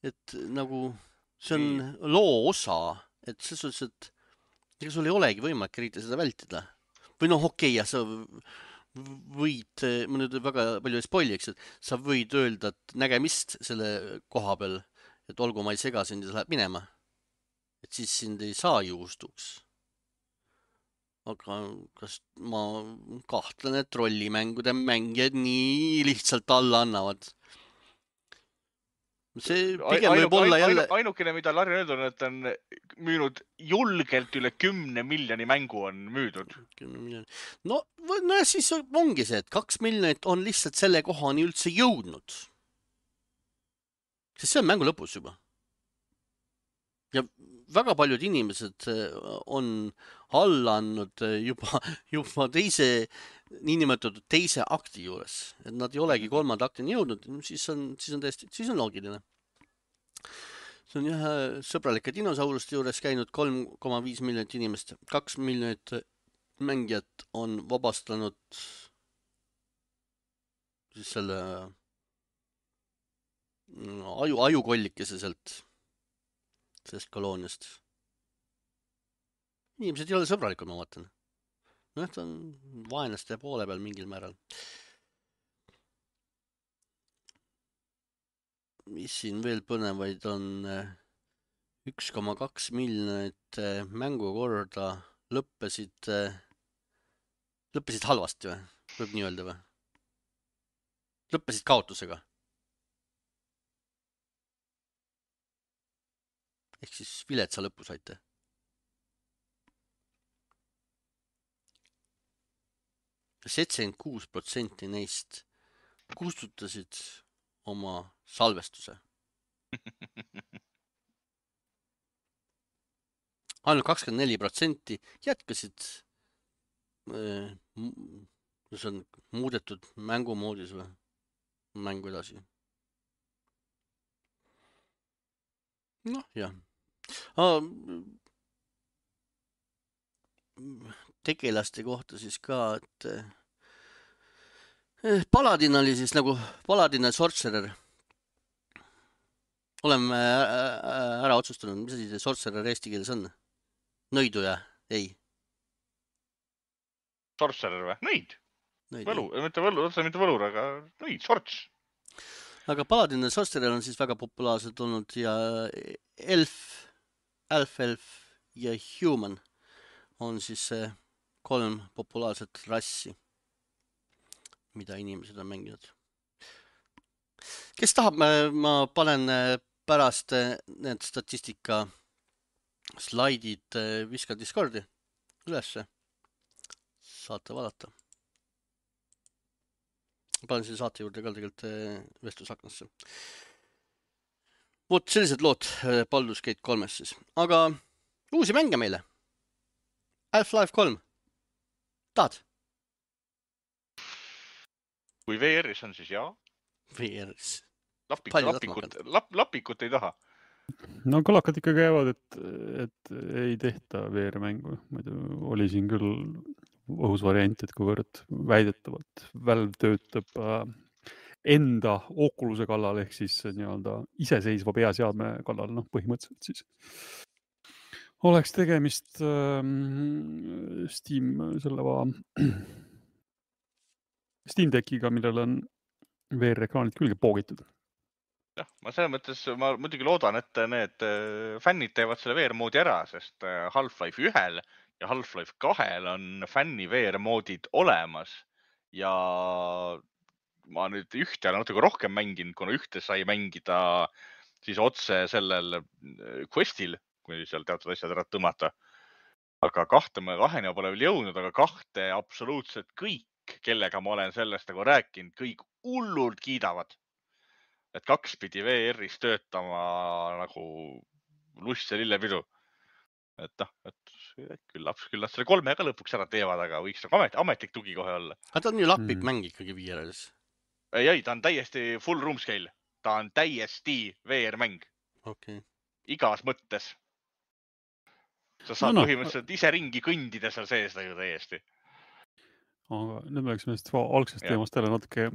et nagu see on Nii. loo osa, et selles suhtes, et ega sul ei olegi võimalik eriti seda vältida. Või noh, okei, ja sa võid, ma nüüd väga palju ei spoili, eks, et sa võid öelda, et nägemist selle koha peal, et olgu, ma ei sega sind ja sa läheb minema. Et siis sind ei saa juustuks. Aga kas ma kahtlen, et rollimängude mängijad nii lihtsalt alla annavad? See pigem Ainu, võib olla jälle... Ainukene, mida Larri öelnud on, et on müünud julgelt üle kümne miljoni mängu on müüdud. No, no ja siis ongi see, et kaks miljonit on lihtsalt selle kohani üldse jõudnud. Sest see on mängu lõpus juba. Ja väga paljud inimesed on alla andnud juba, juba teise, niinimetatud teise akti juures. Et nad ei olegi kolmanda aktini jõudnud, siis on, siis on täiesti, siis on loogiline. See on jah sõbralike dinosauruste juures käinud kolm koma viis miljonit inimest. kaks miljonit mängijat on vabastanud siis selle aju, ajukollikese sealt, sellest kolooniast. Inimesed ei ole sõbralikud, ma vaatan. No, ta on vaenlaste poole peal mingil määral. Mis siin veel põnevaid on? üks koma kaks miljonit mängu korda lõppesid, lõppesid halvasti või? Võib nii öelda või? Lõppesid kaotusega. Ehk siis viletsa lõpu saite. seitsekümmend kuus protsenti neist kustutasid oma salvestuse. Ainult kakskümmend neli protsenti jätkasid, see on muudetud mängumoodis või mängu edasi. Noh, jah. Tegelaste kohta siis ka, et Paladin oli siis nagu Paladin ja Sorcerer. Oleme ära otsustanud, mis asi see Sorcerer eesti keeles on? Nõiduja? Ei. Sorcerer või? Nõid. Võlu, mitte võlu, otsa mitte võlur, aga nõid, sorts. Aga Paladin ja Sorcerer on siis väga populaarsed olnud ja elf, elf, elf ja human on siis kolm populaarset rassi, mida inimesed on mänginud. Kes tahab, ma panen pärast need statistika slaidid viskan Discordi ülesse. Saate vaadata. Panen selle saate juurde ka tegelikult vestlusaknasse. Vot sellised lood Baldur's Gate kolmes siis. Aga uusi mänge meile. Half-Life kolm. Tahad? Kui V R-is on, siis jaa. V R-is. Lapik, lapikut, lap, lapikut ei taha. No kõlakad ikka käivad, et, et ei tehta V R-mängu. Muidu oli siin küll õhus variant, et kuivõrd väidetavalt Valve töötab äh, enda Oculus'e kallal ehk siis nii-öelda iseseisva peaseadme kallal, noh põhimõtteliselt siis oleks tegemist ähm, Steam selle va... Steam Deckiga, millel on V R-ekraanid külge poogitud. Jah, ma selles mõttes, ma muidugi loodan, et need fännid teevad selle V R-moodi ära, sest Half-Life ühel ja Half-Life kahel on fänni V R-moodid olemas ja ma nüüd ühte olen natuke rohkem mänginud, kuna ühte sai mängida siis otse sellel questil, kui seal teatud asjad ära tõmmata. Aga kahte ma kaheni pole veel jõudnud, aga kahte absoluutselt kõik, kellega ma olen sellest nagu rääkinud, kõik hullult kiidavad. Et kaks pidi V R-is töötama nagu lust ja lillepidu. Et noh, et küllap, küllap selle kolmega lõpuks ära teevad, aga võiks nagu amet, ametlik tugi kohe olla. Aga ta on ju lapik mm. mäng ikkagi V R-is. Ei, ei, ta on täiesti full room scale. Ta on täiesti V R-mäng. Okay. Igas mõttes. Sa saad no, no. põhimõtteliselt ise ringi kõndida seal sees ju täiesti. Aga nüüd me läksime just algsest ja. teemast jälle natuke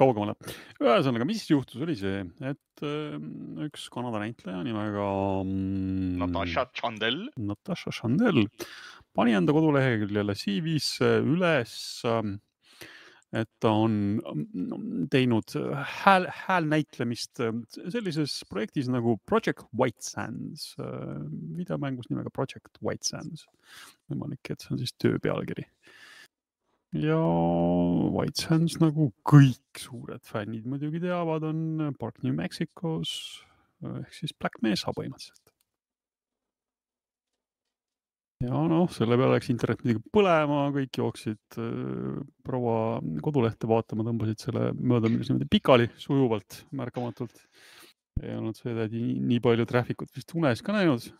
kaugemale. Ühesõnaga, mis juhtus oli see, et üks Kanada näitleja nimega Natasha Chandel. Natasha Chandel pani enda koduleheküljele C V-sse üles, et ta on teinud hääl, häälnäitlemist sellises projektis nagu Project White Sands, videomängus nimega Project White Sands. Võimalik, et see on siis töö pealkiri. Ja White Sands, nagu kõik suured fännid muidugi teavad, on Park New Mexicos ehk siis Black Mesa põhimõtteliselt. Ja noh, selle peale läks internet muidugi põlema, kõik jooksid äh, proua kodulehte vaatama, tõmbasid selle mööda niimoodi pikali sujuvalt, märkamatult. Ei olnud see nii, nii palju trafficut vist unes ka näinud.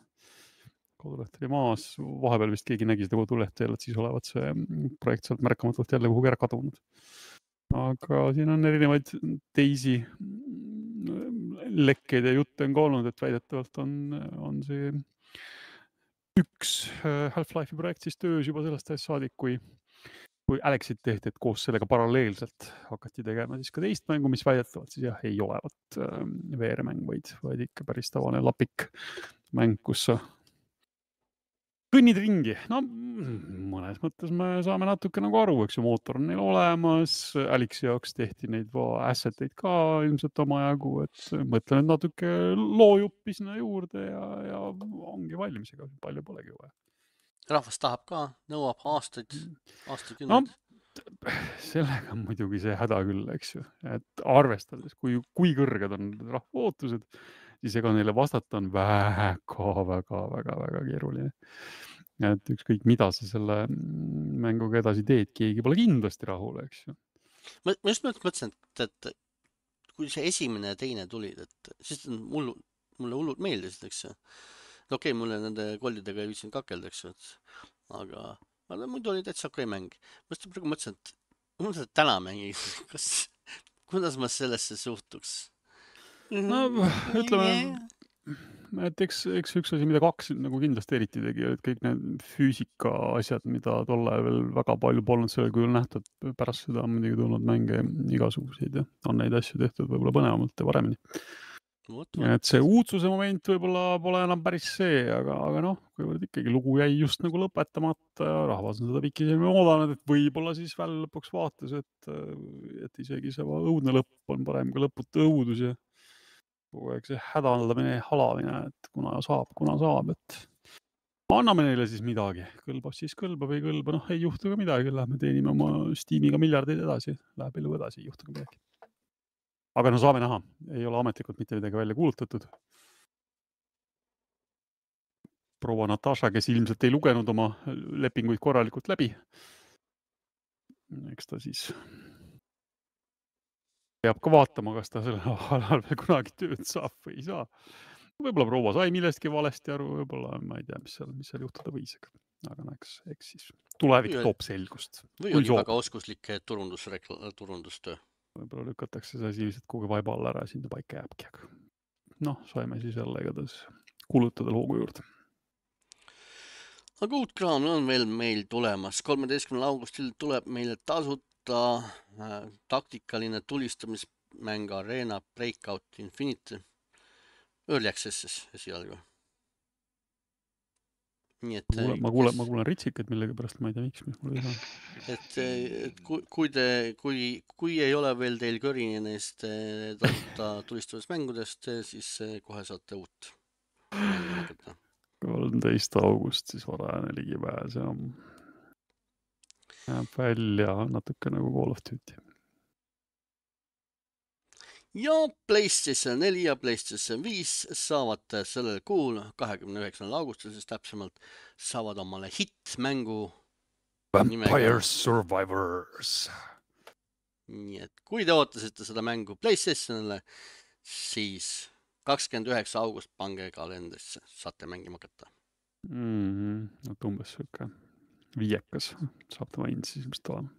Koduleht oli maas, vahepeal vist keegi nägi seda kodulehte jälle, et siis olevat see projekt sealt märkamatult jälle kuhugi ära kadunud. Aga siin on erinevaid teisi lekkeid ja jutte on ka olnud, et väidetavalt on, on see üks Half-Life'i projekt siis töös juba sellest ajast saadik, kui, kui Alexit tehti, et koos sellega paralleelselt hakati tegema siis ka teist mängu, mis väidetavalt siis jah, ei olevat V R-mäng, vaid, vaid ikka päris tavaline lapik mäng, kus sa kõnnid ringi. No mõnes mõttes me saame natuke nagu aru, eks ju, mootor on neil olemas, Alexi jaoks tehti neid asseteid ka ilmselt omajagu, et mõtlen, et natuke loojuppi sinna juurde ja, ja ongi valmisega, palju polegi vaja. Rahvas tahab ka, nõuab aastaid, aastakümneid. No, sellega on muidugi see häda küll, eks ju, et arvestades, kui, kui kõrged on rahva ootused, siis ega neile vastata on väga, väga, väga, väga keeruline. Et ükskõik mida sa selle mänguga edasi teed, keegi pole kindlasti rahul, eks ju. Ma, ma just mõtlesin, et, et kui see esimene ja teine tulid, et siis mulle, mulle hullult meeldis, eks ju. Okei, okay, mulle nende kollidega ei viitsinud kakelda, eks ju, aga, aga muidu oli täitsa okei mäng. Ma just praegu mõtlesin, et ma mõtlesin, et täna mängi, kas, kuidas ma sellesse suhtuks? No, ütleme, et eks, eks üks asi, mida kaks nagu kindlasti eriti tegi, et kõik need füüsika asjad, mida tolle veel väga palju polnud sellel kujul nähtud, pärast seda on muidugi tulnud mänge igasuguseid ja on neid asju tehtud võib-olla põnevamalt ja paremini. Ja et see uudsuse moment võib-olla pole enam päris see, aga, aga noh, kuivõrd ikkagi lugu jäi just nagu lõpetamata ja rahvas on seda pikisilmi oodanud, et võib-olla siis veel lõpuks vaatas, et, et isegi see õudne lõpp on parem kui lõputu õudus ja kogu aeg see hädaldamine ja halamine, et kuna saab, kuna saab, et anname neile siis midagi. Kõlbab siis kõlbab, ei kõlba, noh ei juhtu ka midagi, lähme teenime oma Steamiga miljardeid edasi, läheb elu edasi, ei juhtu ka midagi. Aga no saame näha, ei ole ametlikult mitte midagi välja kuulutatud. Proua Natasha, kes ilmselt ei lugenud oma lepinguid korralikult läbi. Eks ta siis peab ka vaatama, kas ta sellel alal veel kunagi tööd saab või ei saa. Võib-olla proua sai millestki valesti aru, võib-olla ma ei tea, mis seal, mis seal juhtuda võis. Aga no, eks, eks siis tulevik Või- toob selgust. või Kui oli soov. väga oskuslik turundus, turundustöö. Võib-olla lükatakse see asi lihtsalt kuhugi vaiba alla ära ja sinna paika jääbki. Aga noh, saime siis jälle igatahes kulutada loogu juurde. Aga uut kraami on veel meil tulemas. kolmeteistkümnendal augustil tuleb meile tasuta äh, taktikaline tulistamismäng Arena Breakout Infinity. Early Access'is esialgu. Nii et, Ma kuulen, ma kuulen, ma kuulen ritsikaid millegi pärast, ma ei tea, miks, mis mul ei saa. et, et kui, kui, te, kui, kui ei ole veel teil kõrini neist eh, tasuta tulistamismängudest, siis eh, kohe saate uut mängu hakata. kolmteist august siis varajane ligipääs ja jääb välja natuke nagu Call of Duty. Ja PlayStation neli ja PlayStation viis saavad sellel kuul, kahekümne üheksandal augustil siis täpsemalt, saavad omale hit-mängu. Vampire Survivors. Nii et kui te ootasite seda mängu PlayStationile, siis kakskümmend üheksa august pange kalendrisse, saate mängima hakata. Mm-hmm. No, umbes siuke viiekas saab ta maininud siis ilmselt olema.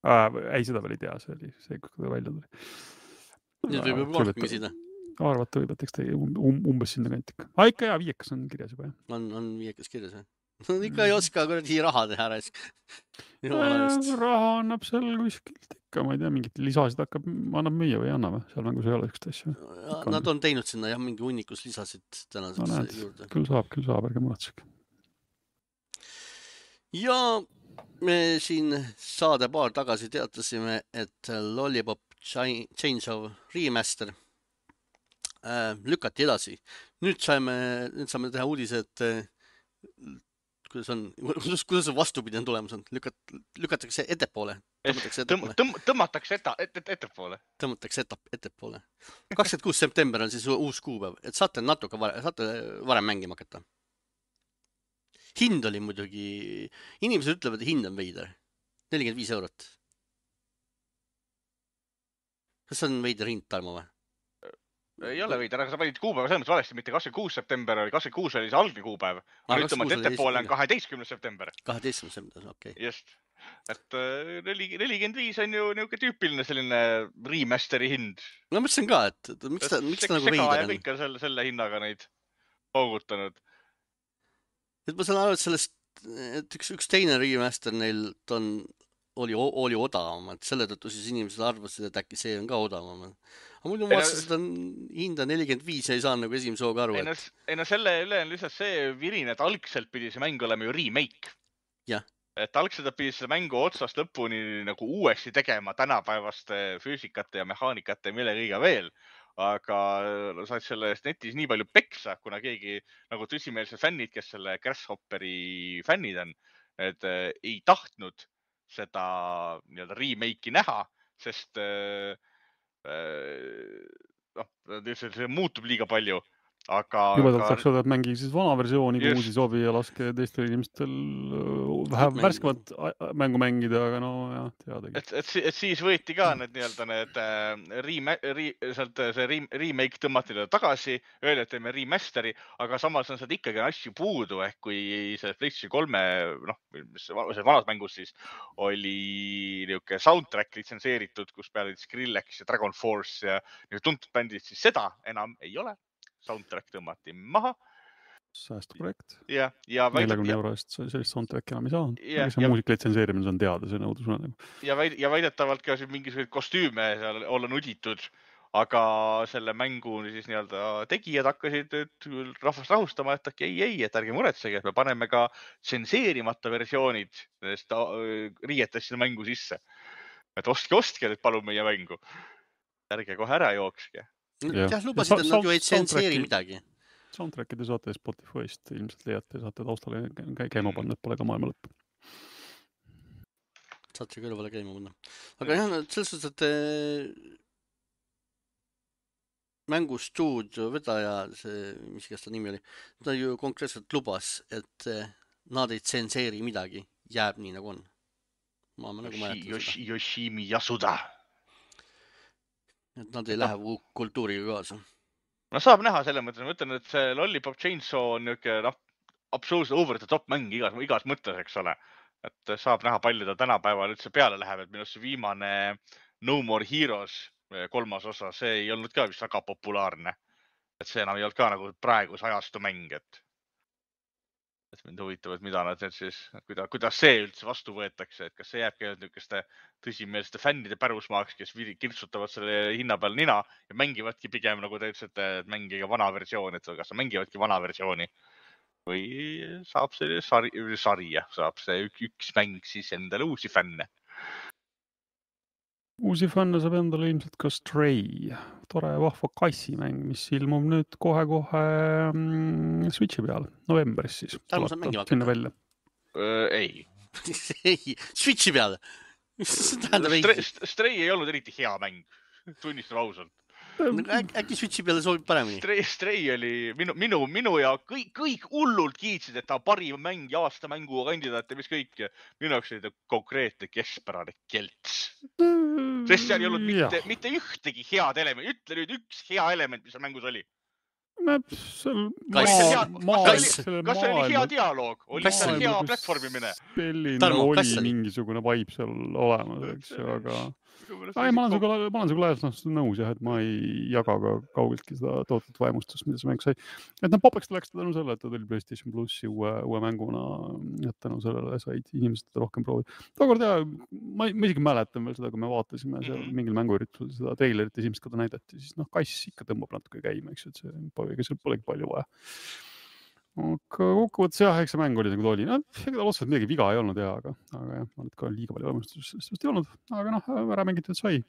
Äh, ei, seda veel ei tea, see oli see, kui ta välja tuli. Nüüd võib juba rohkem küsida. Arvata võib, et eks ta um, umbes sinna kantika. Ah, ikka jaa, viiekas on kirjas juba, jah. On, on viiekas kirjas, jah? Ikka ei oska kuradi raha teha ära. Raha annab seal kuskilt ikka, ma ei tea, mingit lisasid hakkab, annab müüa või ei anna või? Seal mängus ei ole ükst asja. Nad on teinud sinna jah, mingi hunnikus lisasid tänaseks no, näed, juurde. Küll saab, küll saab, ärge muretsege. Ja me siin saade paar tagasi teatasime, et Lollipop Change of Remaster äh, lükati edasi. Nüüd saime, nüüd saame teha uudise, et äh, kuidas on, kuidas, kuidas on vastupidi on tulemus on? Lükat, lükatakse ettepoole. Tõmmatakse ettepoole. Tõmm, tõmmatakse ette, ette, ettepoole. Tõmmatakse ette, ettepoole. kakskümmend kuus september on siis uus kuupäev, et saate natuke varem, saate varem mängima hakata. Hind oli muidugi, inimesed ütlevad, et hind on veider. nelikümmend viis eurot. Kas on veider hind, Tarmo või? Ei ole veider, aga sa panid kuupäeva selles mõttes valesti, mitte kakskümmend kuus september oli, kakskümmend kuus oli see algne kuupäev. Aga ütlema, et ettepoole on kaheteistkümnes september. kaheteistkümnes september, okei. Okay. Just. Et nelikümmend viis on ju niuke tüüpiline selline remasteri hind. No mõtlesin ka, et, et miks ta, miks ta nagu veider on? Sega ja kõik on selle, selle hinnaga neid hoogutanud. Et ma saan aru, et sellest, et üks, üks teine remaster neil on, oli, oli odavam, et selle tõttu siis inimesed arvasid, et äkki see on ka odavam. Aga muidu ma vaatasin, seda hinda nelikümmend viis ja ei saa nagu esimese hooga aru. Ei no, et... no selle üle on lihtsalt see virin, et algselt pidi see mäng olema ju remake. Jah. Et algselt pidi selle mängu otsast lõpuni nagu uuesti tegema tänapäevaste füüsikate ja mehaanikate ja mille kõiga veel. Aga said sellest netis nii palju peksa, kuna keegi nagu tõsimeelsed fännid, kes selle Grasshopperi fännid on, et äh, ei tahtnud seda nii-öelda remake'i näha, sest äh, noh, see muutub liiga palju. Aga, Jubedalt aga... saaks öelda, et mängi siis vana versiooni, kui uusi sobi ja laske teistel inimestel vähem värskemat mängu mängida, aga no jah, teadagi. Et, et, et siis võeti ka need nii-öelda need äh, rema, re, sealt see re, remake tõmmati tagasi, öeldi, et teeme remasteri, aga samas on sealt ikkagi asju puudu, ehk kui see PlayStation kolme, noh, see vanas mängus siis oli niuke soundtrack litsenseeritud, kus peale Skrillex ja Dragon Force ja tuntud bändid, siis seda enam ei ole. Soundtrack tõmmati maha. Säästuprojekt. Ja, ja neljakümne euro eest sellist soundtrack enam ei saa. Ja, see ja, muusika litsenseerimine on teada, see nõudus. Ja, väid, ja väidetavalt ka mingisugused kostüüme seal olla nuditud, aga selle mängu siis nii-öelda tegijad hakkasid nüüd rahvast rahustama, et ei, ei, et ärge muretsege, et me paneme ka tsenseerimata versioonid nendest riietest sinna mängu sisse. Et ostke, ostke nüüd palun meie mängu. Ärge kohe ära jookske. Jah, lubasid, et nad ju ei tsenseeri midagi. Soundtrackide saate Spotify'st ilmselt leiate, saate taustale käima panna, et pole ka maailma lõpp. Saate kõrvale käima panna. Aga jah, selles suhtes, et mängustuudio vedaja, see, mis kes ta nimi oli, ta ju konkreetselt lubas, et nad ei tsenseeri midagi, jääb nii nagu on. Ma, ma nagu Yoshi, Yoshi, Yoshimi Yasuda. et nad ei lähe no. kultuuriga kaasa. No saab näha selle mõttes, ma ütlen, et see Lollipop Chainsaw on niuke, noh, absoluutselt over the top mäng igas, igas mõttes, eks ole. Et saab näha palju ta tänapäeval üldse peale läheb, et minu see viimane No More Heroes kolmas osa, see ei olnud ka vist väga populaarne. Et see enam ei olnud ka nagu praeguse ajastu mäng, et et mind huvitab, et mida nad nüüd siis, kuidas, kuidas see üldse vastu võetakse, et kas see jääbki niisuguste tõsimeelsete fännide pärusmaaks, kes kirtsutavad selle hinna peal nina ja mängivadki pigem, nagu te ütlesite, et mängige vana versioon, et kas mängivadki vana versiooni või saab see sari, sarja, saab see üks, üks mäng siis endale uusi fänne. Uusi fänne saab endale ilmselt ka Stray, tore vahva kassimäng, mis ilmub nüüd kohe-kohe mm, Switchi peal, novembris siis. Tarmo saab mängima hakata? Välja. Öö, ei. ei, Switchi peal? Stray, Stray ei olnud eriti hea mäng, tunnistan ausalt. Äk, äkki Switchi peale sobib paremini? Stray, Stray oli minu, minu, minu ja kõik, kõik hullult kiitsid, et ta parim mäng ja aasta mängu kandidaat ja mis kõik. Minu jaoks oli ta konkreetne keskpärane kelts. Sest seal ei olnud mitte, mitte ühtegi head element. Ütle nüüd üks hea element, mis seal mängus oli. Seal kas see oli hea dialoog? Oli seal hea platvormimine? Selline oli mingisugune vibe seal olemas, eks ju, aga... Ei, ma olen suga, ma olen suga laias nõus, jah, et ma ei jaga ka kaugeltki seda tootut vaimustust, mida see mäng sai. Et nad popeks läks tänu selle, et ta tuli PlayStation Plussi uue, uue mänguna, et tänu sellele said inimesed rohkem proovida. Tookord jah, ma, ma isegi mäletan veel seda, kui me vaatasime seal mingil mänguüritusel seda trailerit esimest korda näidati, siis noh, kass ikka tõmbab natuke käima, eks, et see ega seal polegi palju vaja. Aga kokkuvõttes jah, eks see mäng oli nagu ta oli. No, ega ta otseselt midagi viga ei olnud ja, aga, aga jah, ma nüüd ka liiga palju võimestusest ei olnud. Aga noh, ära mängitud sai.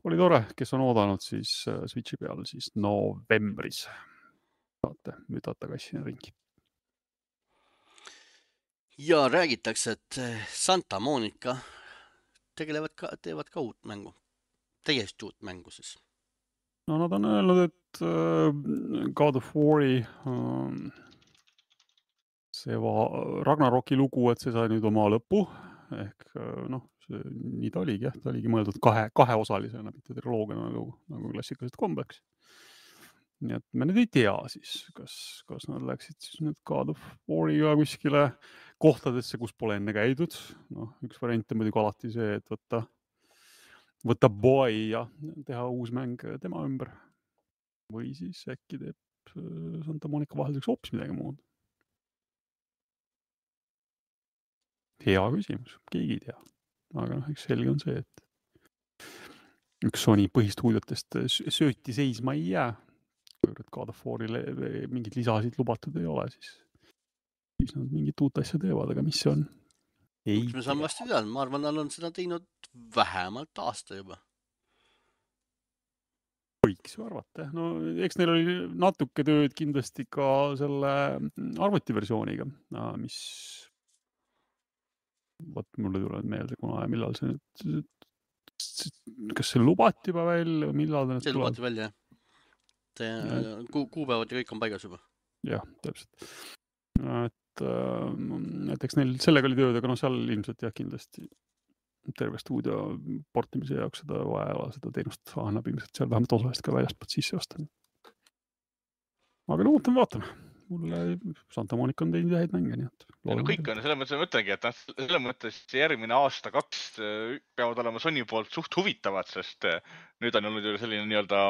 Oli tore, kes on oodanud siis Switchi peal siis novembris. Saate müdata kassina ringi. Ja räägitakse, et Santa Monica tegelevad ka, teevad ka uut mängu. Täiesti uut mängu siis. No nad on öelnud, et uh, God of War'i um, see va, Ragnaroki lugu, et see sai nüüd oma lõpu. Ehk uh, noh, see, nii ta oligi, jah, ta oligi mõeldud kahe, kaheosalisena, mitte triloogiana nagu, nagu klassikalised kombeks. Nii et me nüüd ei tea siis, kas, kas nad läksid siis nüüd God of War'iga kuskile kohtadesse, kus pole enne käidud. Noh, üks variant on muidugi alati see, et võtta võtta boy ja teha uus mäng tema ümber. Või siis äkki teeb Santa Monica vahelduseks hoopis midagi muud. Hea küsimus, keegi ei tea. Aga noh, eks selge on see, et üks Sony põhistuudiotest sööti seisma ei jää. Kui God of War'ile mingid lisasid lubatud ei ole, siis, siis nad mingit uut asja teevad, aga mis see on? Ei me saame vasti teada, ma arvan, nad on seda teinud vähemalt aasta juba. Võiks ju arvata. No, eks neil oli natuke tööd kindlasti ka selle arvutiversiooniga, mis võt, mulle tuleb meelde, kuna ja millal see nüüd, kas see lubati juba välja, millal ta nüüd see lubati välja, jah. Ku, kuupäevad ja kõik on paigas juba. Jah, täpselt. Et et eks neil sellega oli tööd, aga no seal ilmselt jah kindlasti terve stuudio portimise jaoks seda vaja, seda teenust annab ilmselt seal vähemalt osalist ka väljastpoolt sisse osta. Aga no ootame, vaatame. Mulle Santa Monica on teinud häid mänge, nii et... Ja no kõik on, selles mõttes ma mõtlengi, et selles mõttes järgmine aasta kaks peavad olema Sony poolt suht huvitavad, sest nüüd on olnud ju selline nii-öelda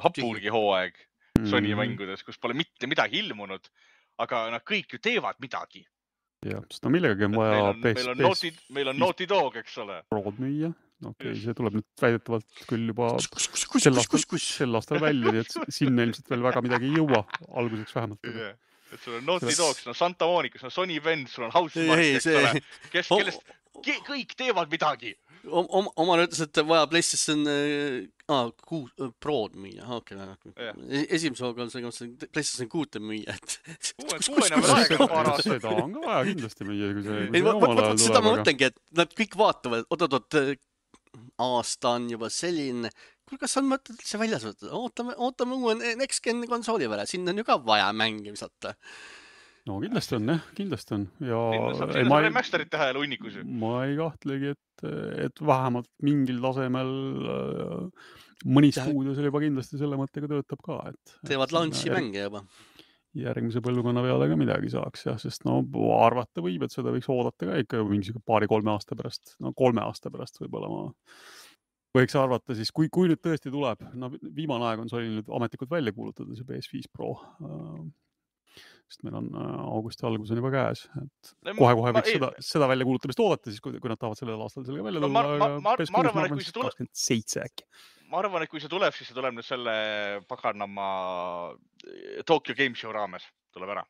hapurgi hooaeg Sony mm-hmm. mängudes, kus pole mitte midagi ilmunud. Aga nad kõik ju teevad midagi. Jah, sest no millegagi on vaja... Meil on, best, meil on, Naughty, meil on Naughty Dog, eks ole. Prood müüa. Okei, okay, see tuleb nüüd väidetavalt küll juba kus, kus, kus, sel, kus, kus, aastal, sel aastal välja, nii et sinna ilmselt veel väga midagi ei jõua, alguseks vähemalt. Yeah. Et sul on Naughty Dog, sul on Santa Monica, sul on Sony Vend, sul on Housemark, eks see... ole. Kes, kellest kõik teevad midagi. Om, omale ütles, et vaja PlayStation ah, kuus, Prood müüa. Okay, yeah. Esimese hooga on see, see PlayStation kuute müüa. Et... Kuuene veel aega paar aastat. Seda on ka vaja kindlasti müüa, kui see, kui ei, see omal ajal tuleb. Seda ma mõtlengi, et nad kõik vaatavad, oot-oot, aasta on juba selline. Kuule, kas on mõtted see väljas võtta? Ootame, ootame uue Next Gen konsooli peale. Siin on ju ka vaja mänge visata. No kindlasti on, jah, kindlasti on. Ja saab sinna saab remasterit teha jälle hunnikus. Ma ei kahtlegi, et, et vähemalt mingil tasemel mõni stuudio seal juba kindlasti selle mõttega töötab ka, et teevad launchi järg... mänge juba. Järgmise põlvkonna peale ka midagi saaks, jah, sest no arvata võib, et seda võiks oodata ka ikka mingisugune paari-kolme aasta pärast, no kolme aasta pärast võib-olla ma võiks arvata siis, kui, kui nüüd tõesti tuleb, no viimane aeg on see oli nüüd ametlikult välja kuulutada, see P S viis Pro, sest meil on augusti algus on juba käes, et kohe-kohe võiks seda, seda välja kuulutamist oodata siis, kui, kui nad tahavad sellel aastal sellega välja tulla, aga P S kuus ma arvan, kakskümmend seitse äkki. Ma arvan, et kui see tuleb, siis see tuleb nüüd selle paganama Tokyo Game Show raames, tuleb ära.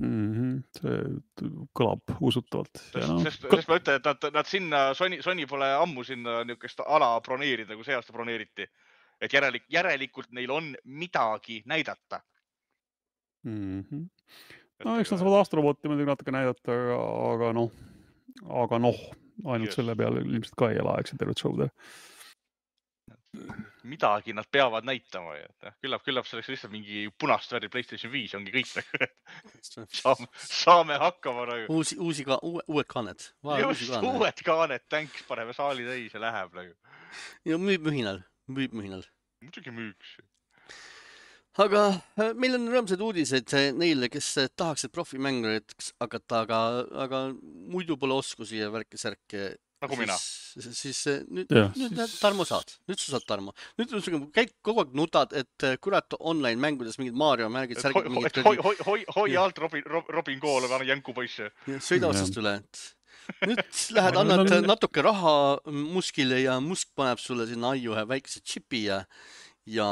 Mm-hmm. See kõlab usutavalt. Sest, no, sest, kõl... sest ma ütlen, et nad, nad sinna, Sony, Sony pole ammu sinna niisugust ala broneerida, kui see aasta broneeriti. Et järelik, järelikult neil on midagi näidata. Mm-hmm. No eks nad saavad Astroboti muidugi natuke näidata, aga, aga noh, aga noh, ainult Just. selle peale ilmselt ka ei ela, eks see tervet show'de. Midagi nad peavad näitama. Küllap, küllap selleks lihtsalt mingi punast värvi PlayStation viis ongi kõik. saame, saame hakkama. Nagu. Uusi, uusi ka, uue, uued kaaned. Just uusi uued kaaned, tänks, paneme saali täis ja läheb. Nagu. Ja müüb mühinal. Müüb mühinal. Muidugi müüks. Aga meil on rõõmsad uudised neile, kes tahaksid profimängurid hakata, aga, aga muidu pole oskusi ja värke-särke. Nagu mina. Siis, siis nüüd, ja, nüüd siis... Tarmo saad. Nüüd sa saad Tarmo. Nüüd käid kogu aeg nutad, et kurat online mängudes mingid Mario märgid, särgid mingid... Hoi, hoi, hoi, hoi alt Robin, Robin Kool on jänku poisse. Sõida otsast üle. Nüüd lähed, annad natuke raha muskile ja musk paneb sulle sinna aiu ühe väikese chipi ja, ja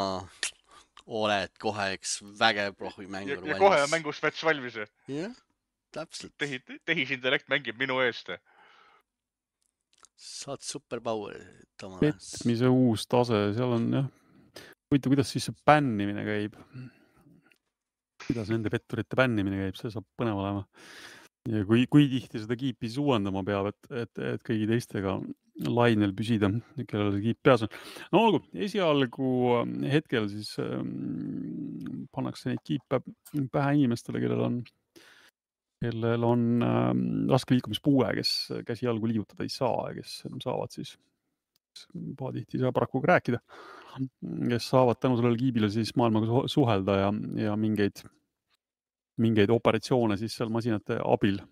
oled kohe üks vägev profimängur valmis. Ja kohe on mängusvets valmis. Jah, täpselt. Tehisintellekt mängib minu eest. Saad superpower. Petmise uus tase, seal on jah. Huvitav, kuidas siis see bännimine käib? Kuidas nende petturite bännimine käib, see saab põnev olema. Ja kui, kui tihti seda kiipi siis uuendama peab, et, et, et kõigi teistega lainel püsida, kellel see kiip peas on. No olgu, esialgu hetkel siis ähm, pannakse neid kiipe pähe inimestele, kellel on kellel on äh, raske liikumispuue, kes käsi jalgu liigutada ei saa ja kes saavad siis, pahatihti ei saa paraku ka rääkida, kes saavad tänu sellele kiibile siis maailmaga suhelda ja, ja mingeid, mingeid operatsioone siis seal masinate abil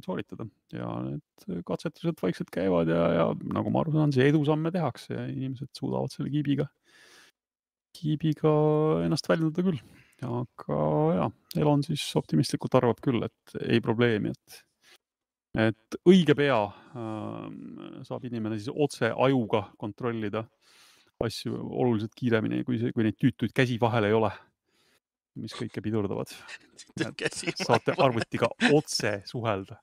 sooritada. Ja need katsetused vaikselt käivad ja, ja nagu ma aru saan, see edusamme tehakse ja inimesed suudavad selle kiibiga, kiibiga ennast väljendada küll. Aga jah, Elon siis optimistlikult arvab küll, et ei probleemi, et, et õige pea äh, saab inimene siis otse ajuga kontrollida asju oluliselt kiiremini, kui, see, kui neid tüütuid käsi vahel ei ole, mis kõike pidurdavad. Saate arvutiga otse suhelda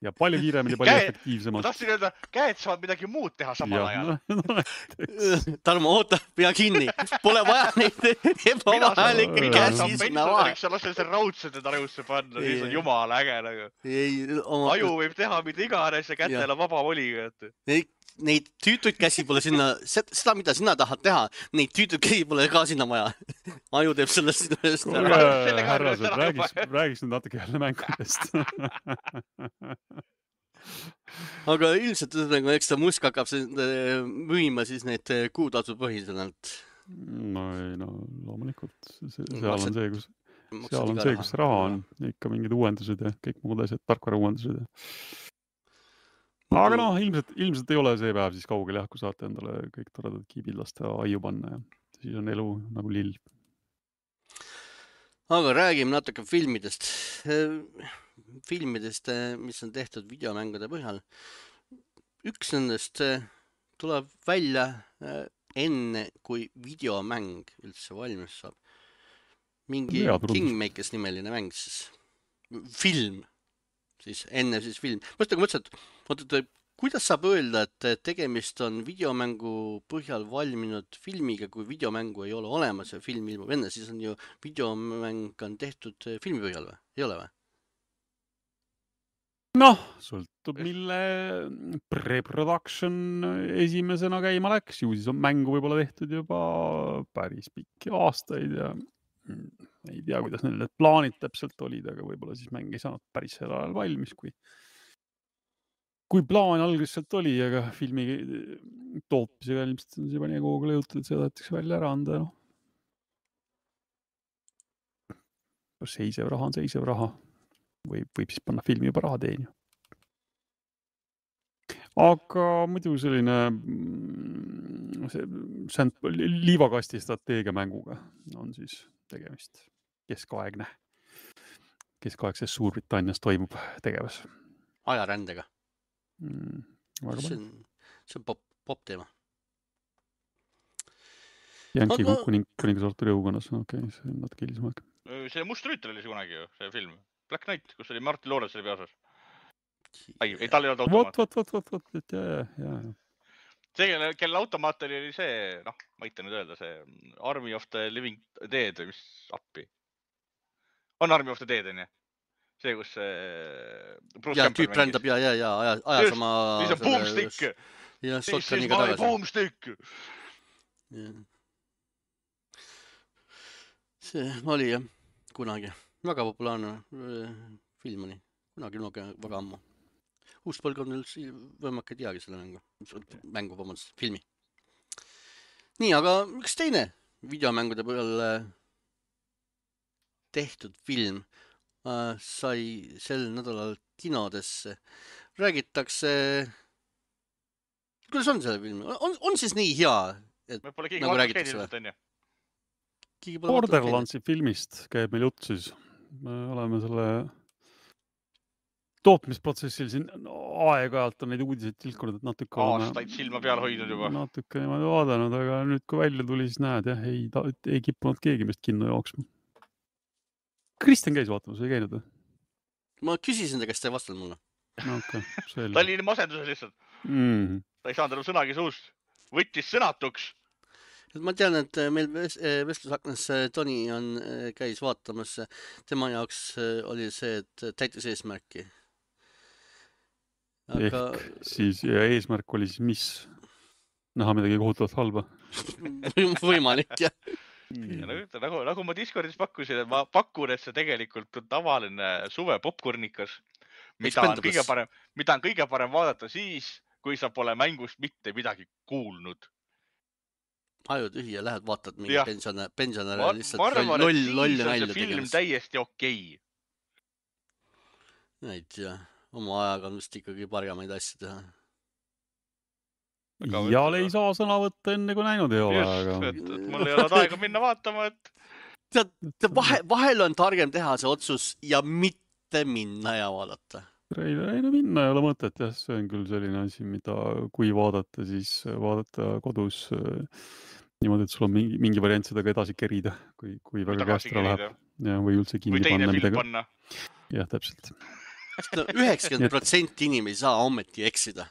ja palju kiiremini, palju käed, efektiivsemalt. Ma tahtsin öelda, käed saavad midagi muud teha samal ja, ajal. No, no, Tarmo, oota, pea kinni. Pole vaja neid ebavahelikke käsi sinna vahe. Sa lasen see raudsed enda ajusse panna, siis on jumala äge. Nagu. Ei, oma... Aju võib teha mida iganes ja kätel on vaba voliga. Ei, neid tüütuid käsi pole sinna, seda, mida sina tahad teha, neid tüütuid käsi pole ka sinna vaja. Aju teeb sellest sinna. Härrased, räägiks, räägiks nüüd natuke jälle mängudest. Aga ilmselt, eks ta musk hakkab müüma siis need kuutasu põhiselt. No ei, no loomulikult. Seal on see, kus, seal on see, kus raha on. Ikka mingid uuendused ja kõik muud asjad, tarkvara uuendused. Aga noh, ilmselt, ilmselt ei ole see päev siis kaugel jah, kui saate endale kõik toredad kiibid lasta aiu panna ja siis on elu nagu lill. Aga räägime natuke filmidest. Filmidest, mis on tehtud videomängude põhjal. Üks nendest tuleb välja enne, kui videomäng üldse valmis saab. Mingi Kingmakers nimeline mäng siis. Film. Siis enne siis film. Mõtlen, kui mõtlesin, et, et kuidas saab öelda, et tegemist on videomängu põhjal valminud filmiga, kui videomängu ei ole olemas ja film ilmub enne, siis on ju videomäng on tehtud filmi põhjal või? Ei ole või? Noh, sõltub, mille pre-production esimesena käima läks. Ju siis on mängu võib-olla tehtud juba päris pikki aastaid ja ei tea, kuidas neil need plaanid täpselt olid, aga võib-olla siis mäng ei saanud päris sel ajal valmis, kui kui plaan alguselt oli, aga filmi tootmisega ilmselt on see juba nii kogu lõjutud, et seda jätakse välja ära anda. No. Seisev raha on seisev raha. Või võib siis panna filmi juba raha teenima. Aga muidu selline see, see liivakasti strateegia mänguga on siis tegemist keskaegne. Keskaegses Suurbritannias toimub tegevus. Ajarändega. Mm, see on, see on pop, pop teema. Jänki Aga... kuning, kuningasartur jõukonnas. Okei, okay, see on natuke hilisem aeg. See Must Rüütel oli see kunagi ju, see film. Black Knight, kus oli Martin Lawrence oli peasas. Ei, ei, tal ei olnud automaat. Vot, vot, vot, vot, vot, jaa, jaa. See, kelle, kelle automaat oli see, noh, ma ei tea nüüd öelda, see Army of the Living Dead või mis appi. On Army of the Dead, on ju? See, kus Bruce ja, tüüp rändab ja, ja, ja, aja, aja sama... Siis on boomstick. Ja, This is my boomstick. Ja. See oli jah, kunagi. Väga populaarne film oli. Kunagi noge väga ammu. Uus põlgkond üldse võimaka ei teagi selle mängu. Mängu, vabandust, filmi. Nii, aga üks teine videomängude peale tehtud film sai sel nädalal kinodesse. Räägitakse... Kuidas on selle film? On, on siis nii hea, et me pole keegi nagu räägitakse või? Borderlandsi filmist käib meil jutt siis. Me oleme selle tootmisprotsessil siin aeg-ajalt on neid uudiseid tilkunud, et natuke oleme... Aastaid silma peal hoidnud juba. Natuke niimoodi vaadanud, aga nüüd kui välja tuli, siis näed, jah, ei, ta, ei kippunud keegi meist kinno jooksma. Kristjan käis vaatamas, ei käinud või? Ma küsisin ta, kes ta ei vastanud mulle. Okay, ta oli masenduse lihtsalt. Mm. Ta ei saanud enam sõnagi suust. Võttis sõnatuks. Ma tean, et meil vestlusaknas Toni on, käis vaatamas. Tema jaoks oli see, et täitis eesmärki. Aga... Ehk siis ja eesmärk oli siis mis? Näha midagi kohutavalt halba? Võimalik, jah. Ja nagu, nagu ma Discordis pakkusin, et ma pakun, et see tegelikult on tavaline suve popcornikas, mida on, kõige parem, mida on kõige parem vaadata siis, kui sa pole mängust mitte midagi kuulnud. Aju tühi ja lähed vaatad mingi pensionär, pensionär ma, lihtsalt ma arvan, loll, loll et siis on see film tegemas. Täiesti okei. Ei tea, oma ajaga on vist ikkagi parjamaid asju teha. Jal ei saa sõna võtta enne, kui näinud ei ole. Just, aga... et, et mul ei ole aega minna vaatama, et... Tead, vahe, vahel on targem teha see otsus ja mitte minna ja vaadata. Ei, ei no minna ei ole mõtet, jah. See on küll selline asi, mida kui vaadata, siis vaadata kodus niimoodi, et sul on mingi, mingi variant seda ka edasi kerida, kui, kui väga käestra läheb. Ja, või üldse kinni või teine panna. Film midagi. panna. Jah, täpselt. üheksakümmend protsenti inimesi saa ommeti eksida.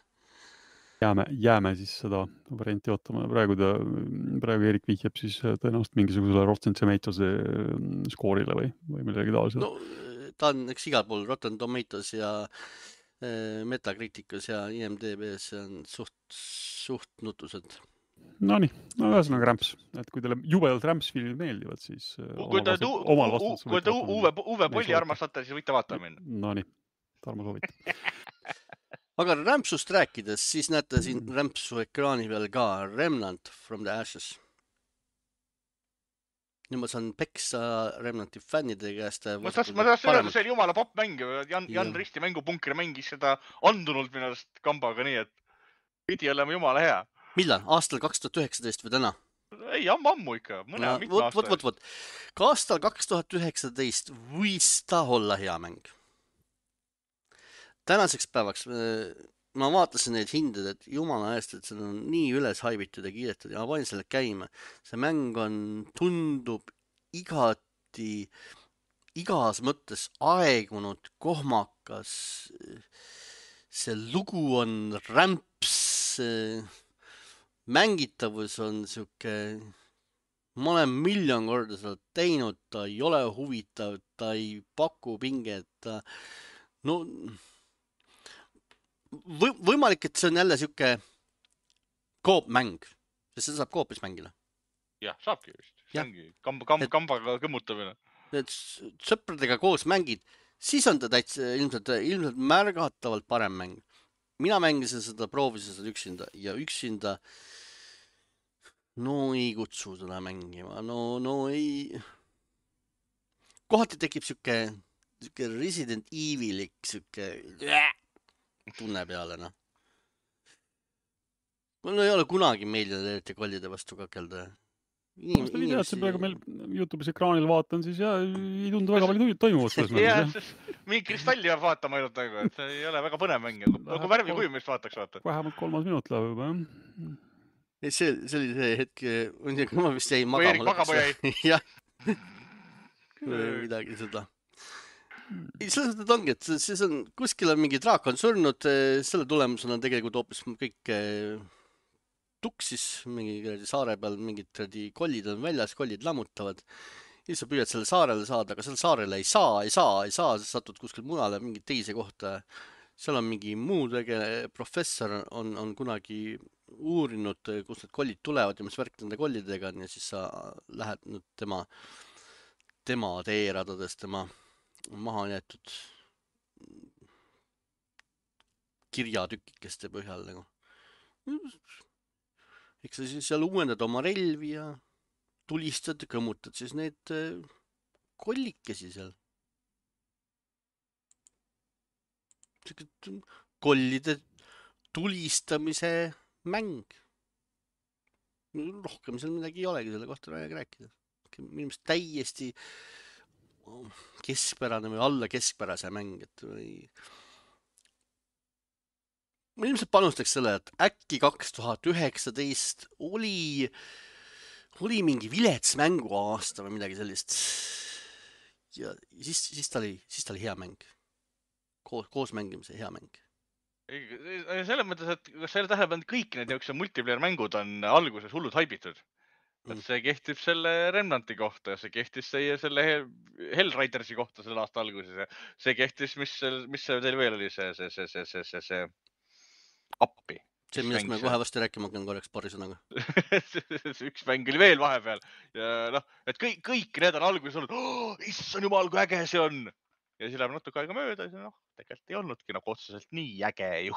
Jääme, jääme siis seda varianti ootama. Praegu, ta, praegu Erik vihjab siis tõenäoliselt mingisugusele Rotten Tomatoes skoorile või, või millegi taolisele. No, ta on eks igal pool Rotten Tomatoes ja Metacriticus ja I M D B-s on suht, suht nutused. No nii, no ühesõnaga rämps. Et kui teile jubedalt rämpsfilmid meeldivad, siis kui te Uwe Polli armastate, siis võite vaatama minna. No nii, Tarmo soovita. Aga rämpsust rääkides, siis näete siin rämpsu ekraani peal ka Remnant from the Ashes. Nüüd ma saan peksa Remnanti fännide käest. Ma taas öelda, see oli jumala popmäng. Jan, Jan Risti mängupunkri mängis seda andunult minust kambaga nii, et pidi olema jumala hea. Millal? Aastal kaks tuhat üheksateist või täna? Ei, ammu, ammu ikka. Mõne no, mitme võt, aasta. Võt, võt, võt. Ka aastal kaks tuhat üheksateist võis ta olla hea mäng. Tänaseks päevaks ma vaatasin neid hinded, et jumala eest, et see on nii üles haibitud ja kiidetud ja ma panin selle käima. See mäng on, tundub igati, igas mõttes aegunud, kohmakas. See lugu on rämps, mängitavus on siuke, ma olen miljon korda seda teinud, ta ei ole huvitav, ta ei paku pinget, ta, no... Või, võimalik, et see on jälle siuke koopmäng, sest seda saab koopis mängida. Jah, saabki vist. See ongi kamba, kamba, kambaga kõmmutamine. Et sõpradega koos mängid, siis on ta täitsa ilmselt, ilmselt märgatavalt parem mäng. mina mängisin seda, proovisin seda üksinda ja üksinda no ei kutsu seda mängima, no, no ei. Kohati tekib siuke, siuke Resident Evilik siuke tunne peale, noh. Mul ei ole kunagi meeldinud eriti kollide vastu kakelda. Inimesi... Ma teadsin praegu meil YouTube'is ekraanil vaatan, siis ja ei tundu väga palju toimuvat selles mängus. Mingi kristalli peab vaatama ainult nagu, et see ei ole väga põnev mäng. Nagu värvi kujumist vaataks vaata. Vähemalt kolmas minut läheb juba, jah. See, see oli see hetk, ma vist jäin magama. Või Erik magama jäi. Jah. Midagi seda. Ei, selles mõttes ongi, et siis on, kuskil on mingi draak on surnud, selle tulemusena tegelikult hoopis kõik tuksis mingi saare peal, mingid kollid on väljas, kollid lammutavad. Ja sa püüad selle saarele saada, aga selle saarele ei saa, ei saa, ei saa, sa satud kuskil mujale mingi teise kohta. Seal on mingi muu tege, professor on, on kunagi uurinud, kus need kollid tulevad ja mis värk nende kollidega on ja siis sa lähed nüüd tema, tema teeradades, tema maha jäetud kirjatükikeste põhjal nagu. Eks sa siis seal uuendad oma relvi ja tulistad ja kõmmutad siis need kollikesi seal. Kollide tulistamise mäng. Rohkem seal midagi ei olegi selle kohta rääkida. Minu meelest täiesti keskpärane või alla keskpärase mäng. Et või... Ma ilmselt panustaks selle, et äkki kaks tuhat üheksateist oli, oli mingi vilets mängu aasta või midagi sellist. Ja siis, siis, ta oli, siis ta oli hea mäng. Koos, koos mängimise hea mäng. Selles mõttes, et kas selle tähelepanu kõik need jooks multiplayer mängud on alguses hullud haibitud. Et see kehtib selle Remnanti kohta, see kehtis see, selle Hellraidersi kohta selle aasta alguses. See kehtis, mis, mis see teil veel oli, see, see, see, see, see, see, see appi. See, millest me kohe vasti rääkima hakkan korraks paari sõnaga. Üks mäng oli veel vahepeal. Ja noh, et kõik, kõik need on alguses olnud, oh, issand jumal, kui äge see on. Ja siis läheb natuke aega mööda ja noh, tegelikult ei olnudki nagu otseselt nii äge ju.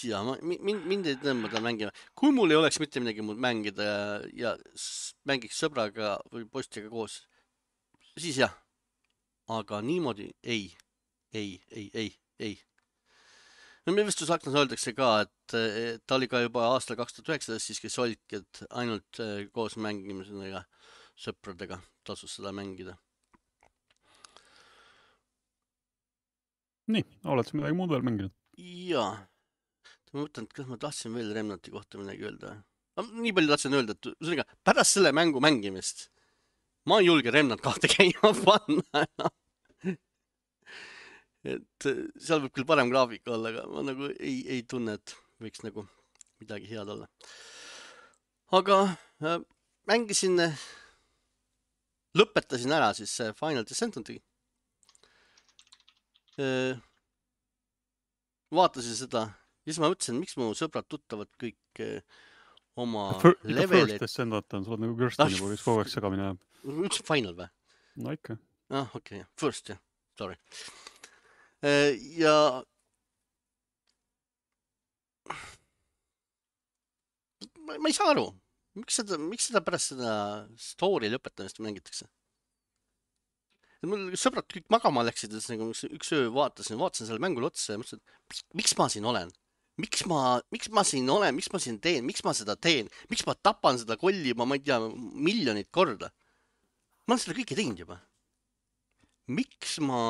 Ja, ma, mind, mind ei tõmbada mängima. Kui mul ei oleks mitte midagi muud mängida ja, ja mängiks sõbraga või postiga koos, siis jah. Aga niimoodi ei, ei, ei, ei, ei. No me vist Aknas öeldakse ka, et ta oli ka juba aastal kaks tuhat üheksateist siiski solk, et ainult koos mängimisega sõpradega tasus seda mängida. Nii, oled sa midagi muud veel mänginud? Jaa. Ma mõtlen, et kas ma tahtsin veel Remnanti kohta midagi öelda. Nii palju tahtsin öelda, et ühesõnaga, pärast selle mängu mängimist ma ei julge Remnant kahte käima panna. Et seal võib küll parem graafika olla, aga ma nagu ei, ei tunne, et võiks nagu midagi head olla. Aga äh, mängisin, lõpetasin ära siis Final Descenti. Vaatasin seda ja siis ma mõtlesin, miks mu sõbrad tuttavad kõik oma levelid. First Descent on, sa oled nagu Kirsten juba, kes kogu aeg segamine jääb. Üks Final või? No ikka. Ah, okei, okay. First, jah. Sorry. Ja ma ei saa aru, miks seda, miks seda pärast seda story lõpetamist mängitakse? Mul sõbrad kõik magama läksid, üks öö vaatasin, vaatasin selle mängule otsa ja mõtlesin, miks ma siin olen? Miks ma, miks ma siin olen? Miks ma siin teen? Miks ma seda teen? Miks ma tapan seda kolli juba, ma ei tea, miljonit korda? Ma olen seda kõike teinud juba. Miks ma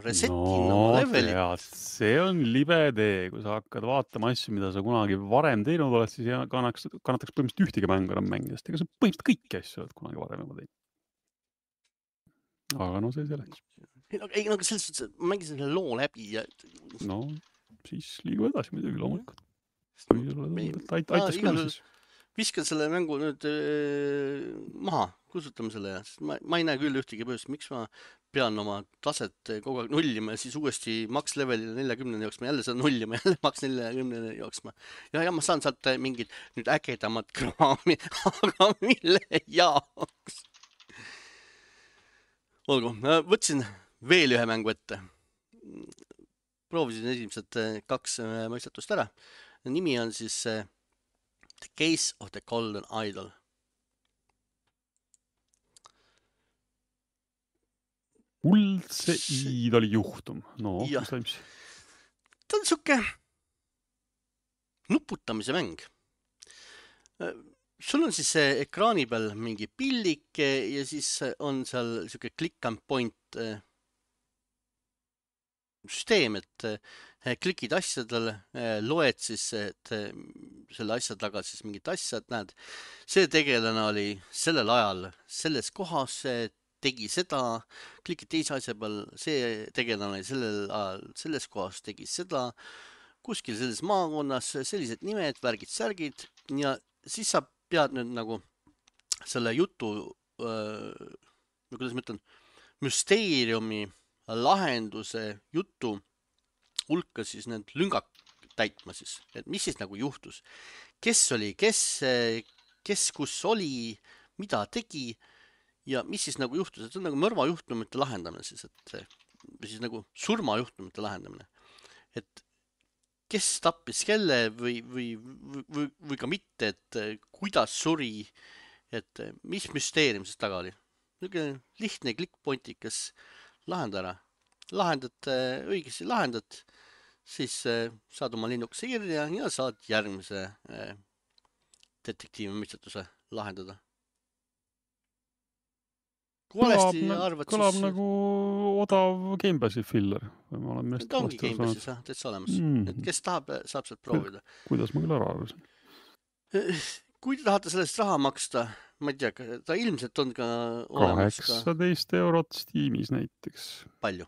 resetin no, oma levelit? Tead, see on libe tee, kui sa hakkad vaatama asju, mida sa kunagi varem teinud oled, siis kannaks, kannataks põhimõtteliselt ühtegi mängu enam mängida. Ega sa põhimõtteliselt kõiki asju oled kunagi varem juba teinud. Aga no see selleks. Ei, no selles suhtes, ma mängisin selle loo läbi ja... No, siis liigu edasi muidugi loomulikult. Aitas küll siis. Viskan selle mängu nüüd äh, maha, kusutame selle ja ma, ma ei näe küll ühtegi põhjust, miks ma pean oma taset kogu aeg nullima ja siis uuesti maks levelile neljakümneni jooksma, jälle seda nullima, jälle maks neljakümneni jooksma. Ja, ja ma saan sealt mingid nüüd ägedamad kraami, aga mille jaoks? Olgu, võtsin veel ühe mängu ette. proovisin esimesed äh, kaks äh, mõistatust ära. Nimi on siis äh, The Case of the Golden Idol. Kuldse See- iidoli juhtum. No, Jah. mis toimus? Ta on siuke nuputamise mäng. Äh, Sul on siis äh, ekraani peal mingi pillike ja siis äh, on seal siuke click and point äh, süsteem, et äh, klikid asjadele, äh, loed siis, et äh, selle asja taga siis mingit asja, et näed, see tegelane oli sellel ajal selles kohas, äh, tegi seda, klikid teise asja peal, see tegelane oli sellel ajal selles kohas, tegi seda, kuskil selles maakonnas, sellised nimed, värgid, särgid ja siis sa pead nüüd nagu selle jutu, äh, kuidas ma ütlen, müsteeriumi lahenduse jutu hulka siis need lüngad täitma siis, et mis siis nagu juhtus, kes oli, kes, kes kus oli, mida tegi ja mis siis nagu juhtus, et see on nagu mõrvajuhtumite lahendamine siis, et või siis nagu surmajuhtumite lahendamine, et kes tappis kelle või, või, või, või ka mitte, et kuidas suri, et mis müsteerium siis taga oli. Niisugune lihtne klikkpointikas lahenda ära. Lahendad äh, õigesti lahendad, siis äh, saad oma linnukese kirja ja saad järgmise äh, detektiivi mõistatuse lahendada. Kui valesti arvad, kõlab siis nagu odav Gamepassi filler. Või ma olen ta ongi Gamepassis jah, täitsa olemas. Mm. Et kes tahab, saab sealt proovida. Kuidas ma küll ära arvasin? Kui te tahate sellest raha maksta, ma ei tea, ta ilmselt on ka olemas ka kaheksateist eurot Steamis näiteks. palju.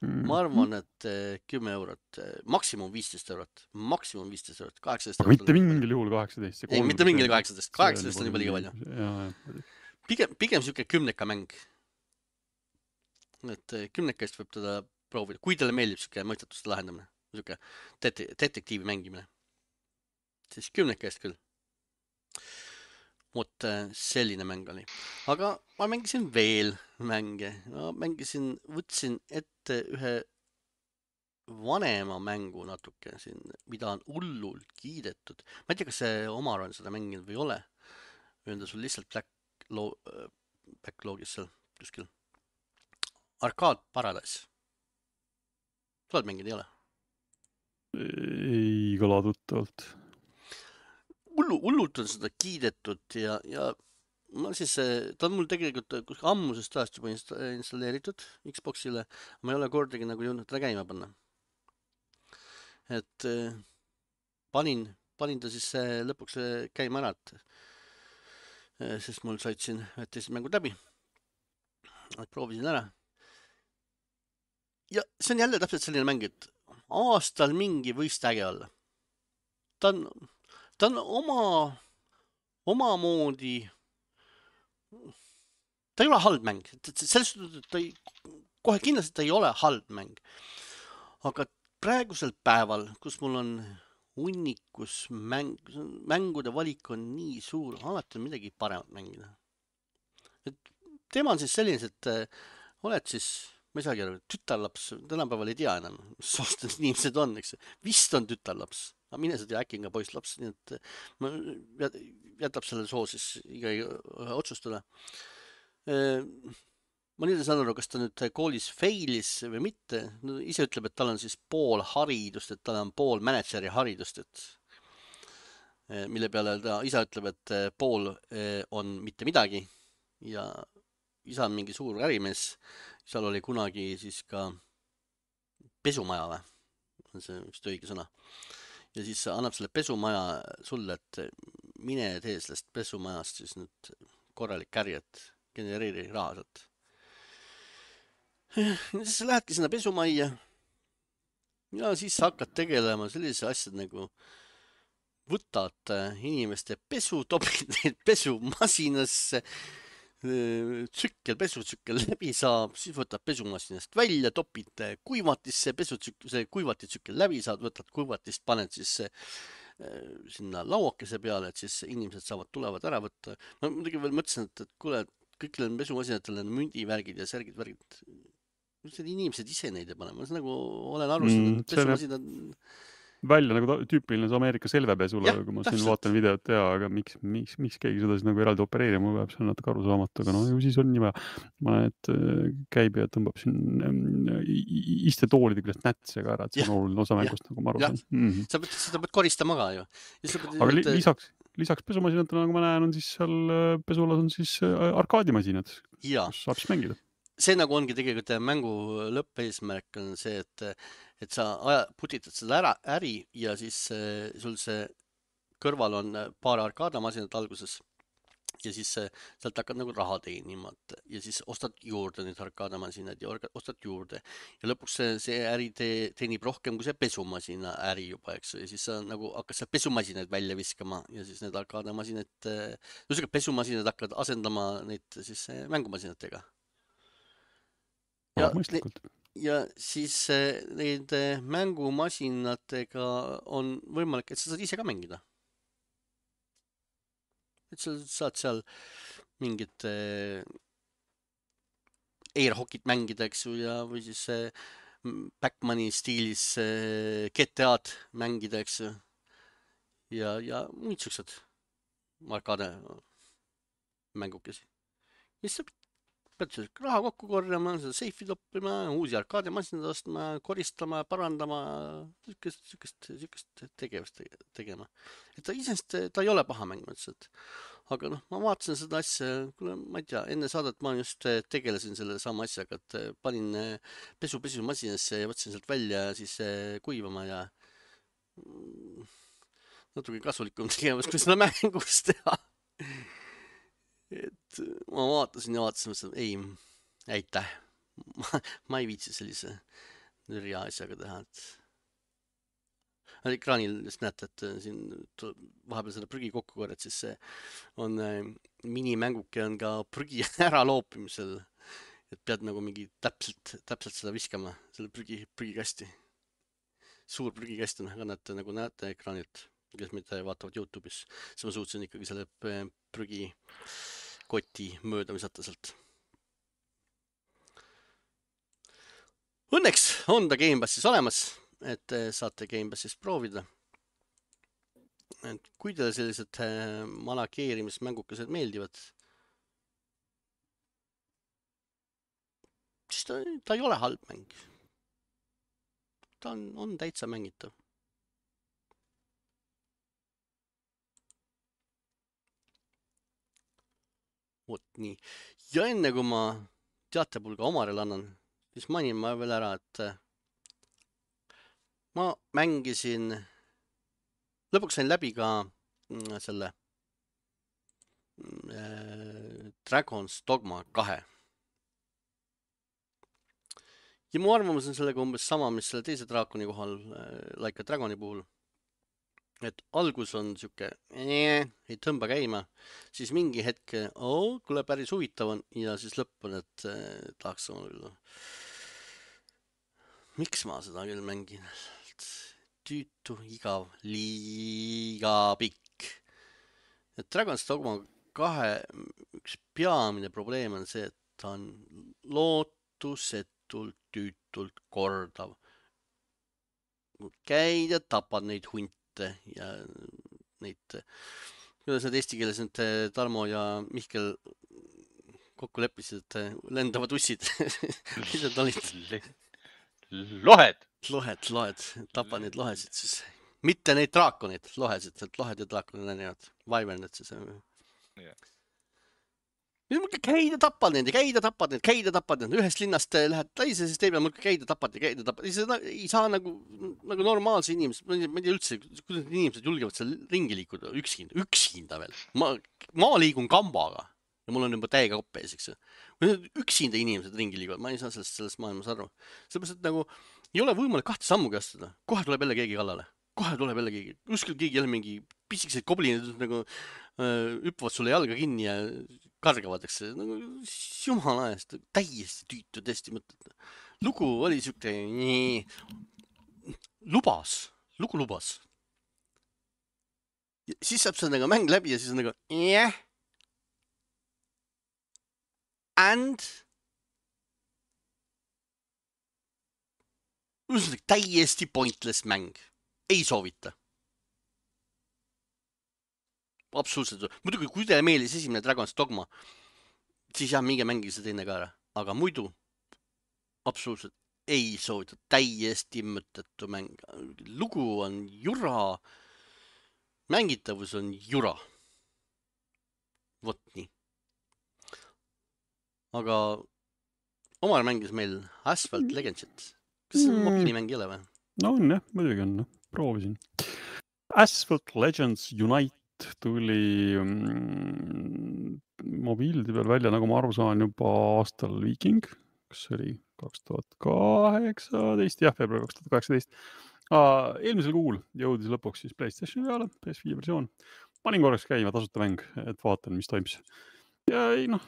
Mm. Ma arvan, et kümme eurot, maksimum viisteist eurot, maksimum viisteist eurot, kaheksateist Aga mitte mingil juhul kaheksateist. Ei, mitte mingil kaheksateist, kaheksateist on juba liiga palju. Jaa, jah. Pigem, pigem siuke kümneka mäng. Et kümneka eest võib teda proovida, kui teile meeldib siuke mõistatuste lahendamine, siuke det- detektiivi mängimine, siis kümneka eest küll. Vot selline mäng oli. Aga ma mängisin veel mänge. Ma mängisin, võtsin ette ühe vanema mängu natuke siin, mida on hullult kiidetud. Ma ei tea, kas see Omar on seda mänginud või ei ole. Või on ta sul lihtsalt backlo- backlogis seal kuskil. Arcade Paradise. Sa oled mänginud, ei ole? Ei kõla tuttavalt. Hullu, hullult on seda kiidetud ja, ja ma siis, ta on mul tegelikult kuskil ammusest ajast juba insta- installeeritud Xboxile, ma ei ole kordagi nagu jõudnud teda käima panna. Et eh, panin, panin ta siis eh, lõpuks eh, käima ära, et eh, sest mul said siin ühed teised mängud läbi. Et proovisin ära. Ja see on jälle täpselt selline mäng, et aastal mingi võist äge olla. Ta on Ta on oma, omamoodi, ta ei ole halb mäng, selles suhtes, et ta ei, kohe kindlasti ta ei ole halb mäng. Aga praegusel päeval, kus mul on hunnikus mäng, mängude valik on nii suur, alati on midagi paremat mängida. Et teema on siis selline, et oled siis, ma ei saagi aru, tütarlaps, tänapäeval ei tea enam, mis soost inimesed on, eks. Vist on tütarlaps. Aga mine seda äkki ka poisslaps, nii et ma jätab selle soo siis iga otsustada. Ma nüüd ei saan aru, kas ta nüüd koolis failis või mitte. No, ise ütleb, et tal on siis pool haridust, et tal on pool manager'i haridust, et mille peale ta isa ütleb, et pool on mitte midagi ja isa on mingi suur ärimees. Seal oli kunagi siis ka pesumaja või? On see vist õige sõna. Ja siis annab selle pesumaja sulle, et mine tee sellest pesumajast siis nüüd korralik äri, et genereeri raha sealt. Siis sa lähedki sinna pesumajja ja siis sa hakkad tegelema sellise asjad nagu võtad inimeste pesu, topid neid pesumasinasse, tsükkel, pesutsükkel läbi saab, siis võtad pesumasinast välja, topid kuivatisse, pesutsükkel, see kuivatitsükkel läbi saad, võtad kuivatist, paned siis sinna lauakese peale, et siis inimesed saavad tulevad ära võtta. Ma muidugi veel mõtlesin, et, et kuule, kõikidel pesumasinatel on mündivärgid ja särgid, värgid. inimesed ise neid ei pane, ma nagu olen aru Mm, saanud, et see näeb pesumasinad, välja nagu ta- tüüpiline see Ameerika selvepesula, jah, kui ma siin täpselt. vaatan videot ja, aga miks, miks, miks keegi seda siis nagu eraldi opereerima peab, see on natuke arusaamatu, aga no ju siis on nii vaja. Ma näen, et äh, käib ja tõmbab siin ähm, i- i- istetoolide küljest nätse ka ära, et see Jah, on oluline osa jah, mängust, nagu ma aru jah. saan. Mm-hmm. sa pead, seda pead koristama ka ju. Ja sa pead, Aga li et, lisaks, lisaks pesumasinatele, nagu ma näen, on siis seal äh, pesulas on siis äh, arkaadimasinad, jaa, kus saab siis mängida. see nagu ongi tegelikult mängu lõppeesmärk on see, et, et sa aja, putitad seda ära, äri ja siis äh, sul see kõrval on äh, paar arkaadamasinat alguses ja siis äh, sealt hakkad nagu raha teenima et, ja siis ostad juurde neid arkaadamasinad ja orga- ostad juurde ja lõpuks see, see äri te, teenib rohkem kui see pesumasina äri juba, eks ju, ja siis sa nagu hakkad seal pesumasinaid välja viskama ja siis need arkaadamasinad, äh, ühesõnaga pesumasinad hakkavad asendama neid siis äh, mängumasinatega. Ja, Kõlab mõistlikult. ja siis äh, neid äh, mängumasinatega on võimalik, et sa saad ise ka mängida. Et sa saad seal mingit äh, airhockit mängida, eks ju, ja või siis äh, Backmani stiilis äh, G T A-d mängida, eks ju. Ja, ja muid siuksed arkaade mängukesi. Ja siis sa pead seal raha kokku korjama, seda seifi toppima, uusi arkaadimasinad ostma, koristama, parandama, sükest, sükest, sükest tegevust tegema. Et ta isest, ta ei ole paha mäng, mõtlesin, et aga noh, ma vaatasin seda asja, kuule, ma ei tea, enne saadet ma just tegelesin selle sama asjaga, et panin pesu pesumasinasse ja võtsin sealt välja siis kuivama ja natuke kasulikum tegevus, kui seda mängus teha. Et ma vaatasin ja vaatasin, mõtlesin, ei, aitäh, ma, ma ei viitsi sellise nürja asjaga teha, et ekraanil just näete, et siin vahepeal seda prügi kokku korjad, siis see on minimänguke on ka prügi ära loopimisel, et pead nagu mingi täpselt, täpselt seda viskama, selle prügi, prügikasti. Suur prügikast on, aga näete, nagu näete ekraanilt, kes meid vaatavad YouTube'is, siis ma suutsin ikkagi selle prügi koti mööda visata sealt. Õnneks on ta Gamepassis olemas, et saate Gamepassist proovida. Et kui teile sellised manageerimismängukesed meeldivad, siis ta, ta ei ole halb mäng. Ta on, on täitsa mängitav. Vot nii. Ja enne kui ma teatepulga Omarele annan, siis mainin ma veel ära, et ma mängisin, lõpuks sain läbi ka selle äh, Dragon's Dogma kahe. Ja mu arvamus on sellega umbes sama, mis selle teise draakoni kohal äh, Like a Dragoni puhul. Et algus on siuke, ee, ei tõmba käima, siis mingi hetk, oo, kuule päris huvitav on ja siis lõpp on, et äh, tahaks sama küll. Miks ma seda küll mängin? Tüütu, igav, liiga pikk. Et Dragon's Dogma kahe üks peamine probleem on see, et ta on lootusetult, tüütult kordav. Käid ja tapad neid hunte ja neid, kuidas need eesti keeles nüüd Tarmo ja Mihkel kokku leppisid, et lendavad ussid. Mis need olid? Lohed. Lohed, lohed, tapad neid lohesid siis. Mitte neid draakonid, lohesid, et lohed ja draakonid on erinevad. Vaiverned siis. Yeah. Käid ja tapad neid, käid ja tapad neid, käid ja tapad neid. Ühest linnast lähed teise, siis teeb ja mul käid ja tapad ja käid ja tapad. Ei saa nagu, nagu normaalse inimesed, ma ei tea üldse, kuidas inimesed julgevad seal ringi liikuda üksinda, üksinda veel. Ma, ma liigun kambaga ja mul on juba täiega kopp ees, eks. Üksinda inimesed ringi liiguvad, ma ei saa sellest, sellest maailmas aru. Sellepärast, et nagu ei ole võimalik kahte sammugi astuda. Kohe tuleb jälle keegi kallale. Kohe tuleb jälle keegi. Kuskil keegi jälle mingi pisikesed koblinid nagu hüppavad sulle jalga kinni ja kargavad, eks. Nagu jumala eest, täiesti tüütu, täiesti mõtted. Lugu oli siuke, nii, lubas, lugu lubas. Ja siis saab see nagu mäng läbi ja siis on nagu, jah. Yeah. And täiesti pointless mäng. Ei soovita. Absoluutselt. Muidugi, kui teile meeldis esimene Dragon's Dogma, siis jah, minge mängige see teine ka ära. Aga muidu absoluutselt ei soovita. Täiesti mõttetu mäng. Lugu on jura. Mängitavus on jura. Vot nii. Aga Omar mängis meil Asphalt Legendsit. Kas see on mobiilimäng ei ole või? No on jah, muidugi on. Proovisin. Asphalt Legends Unite tuli mm, mobiilide peal välja, nagu ma aru saan, juba aastal Viking, kas see oli kaks tuhat kaheksateist, jah, veebruar kaks tuhat kaheksateist. Ah, eelmisel kuul jõudis lõpuks siis PlayStationi peale, P S viie versioon. Panin korraks käima tasuta mäng, et vaatan, mis toimus. Ja ei noh,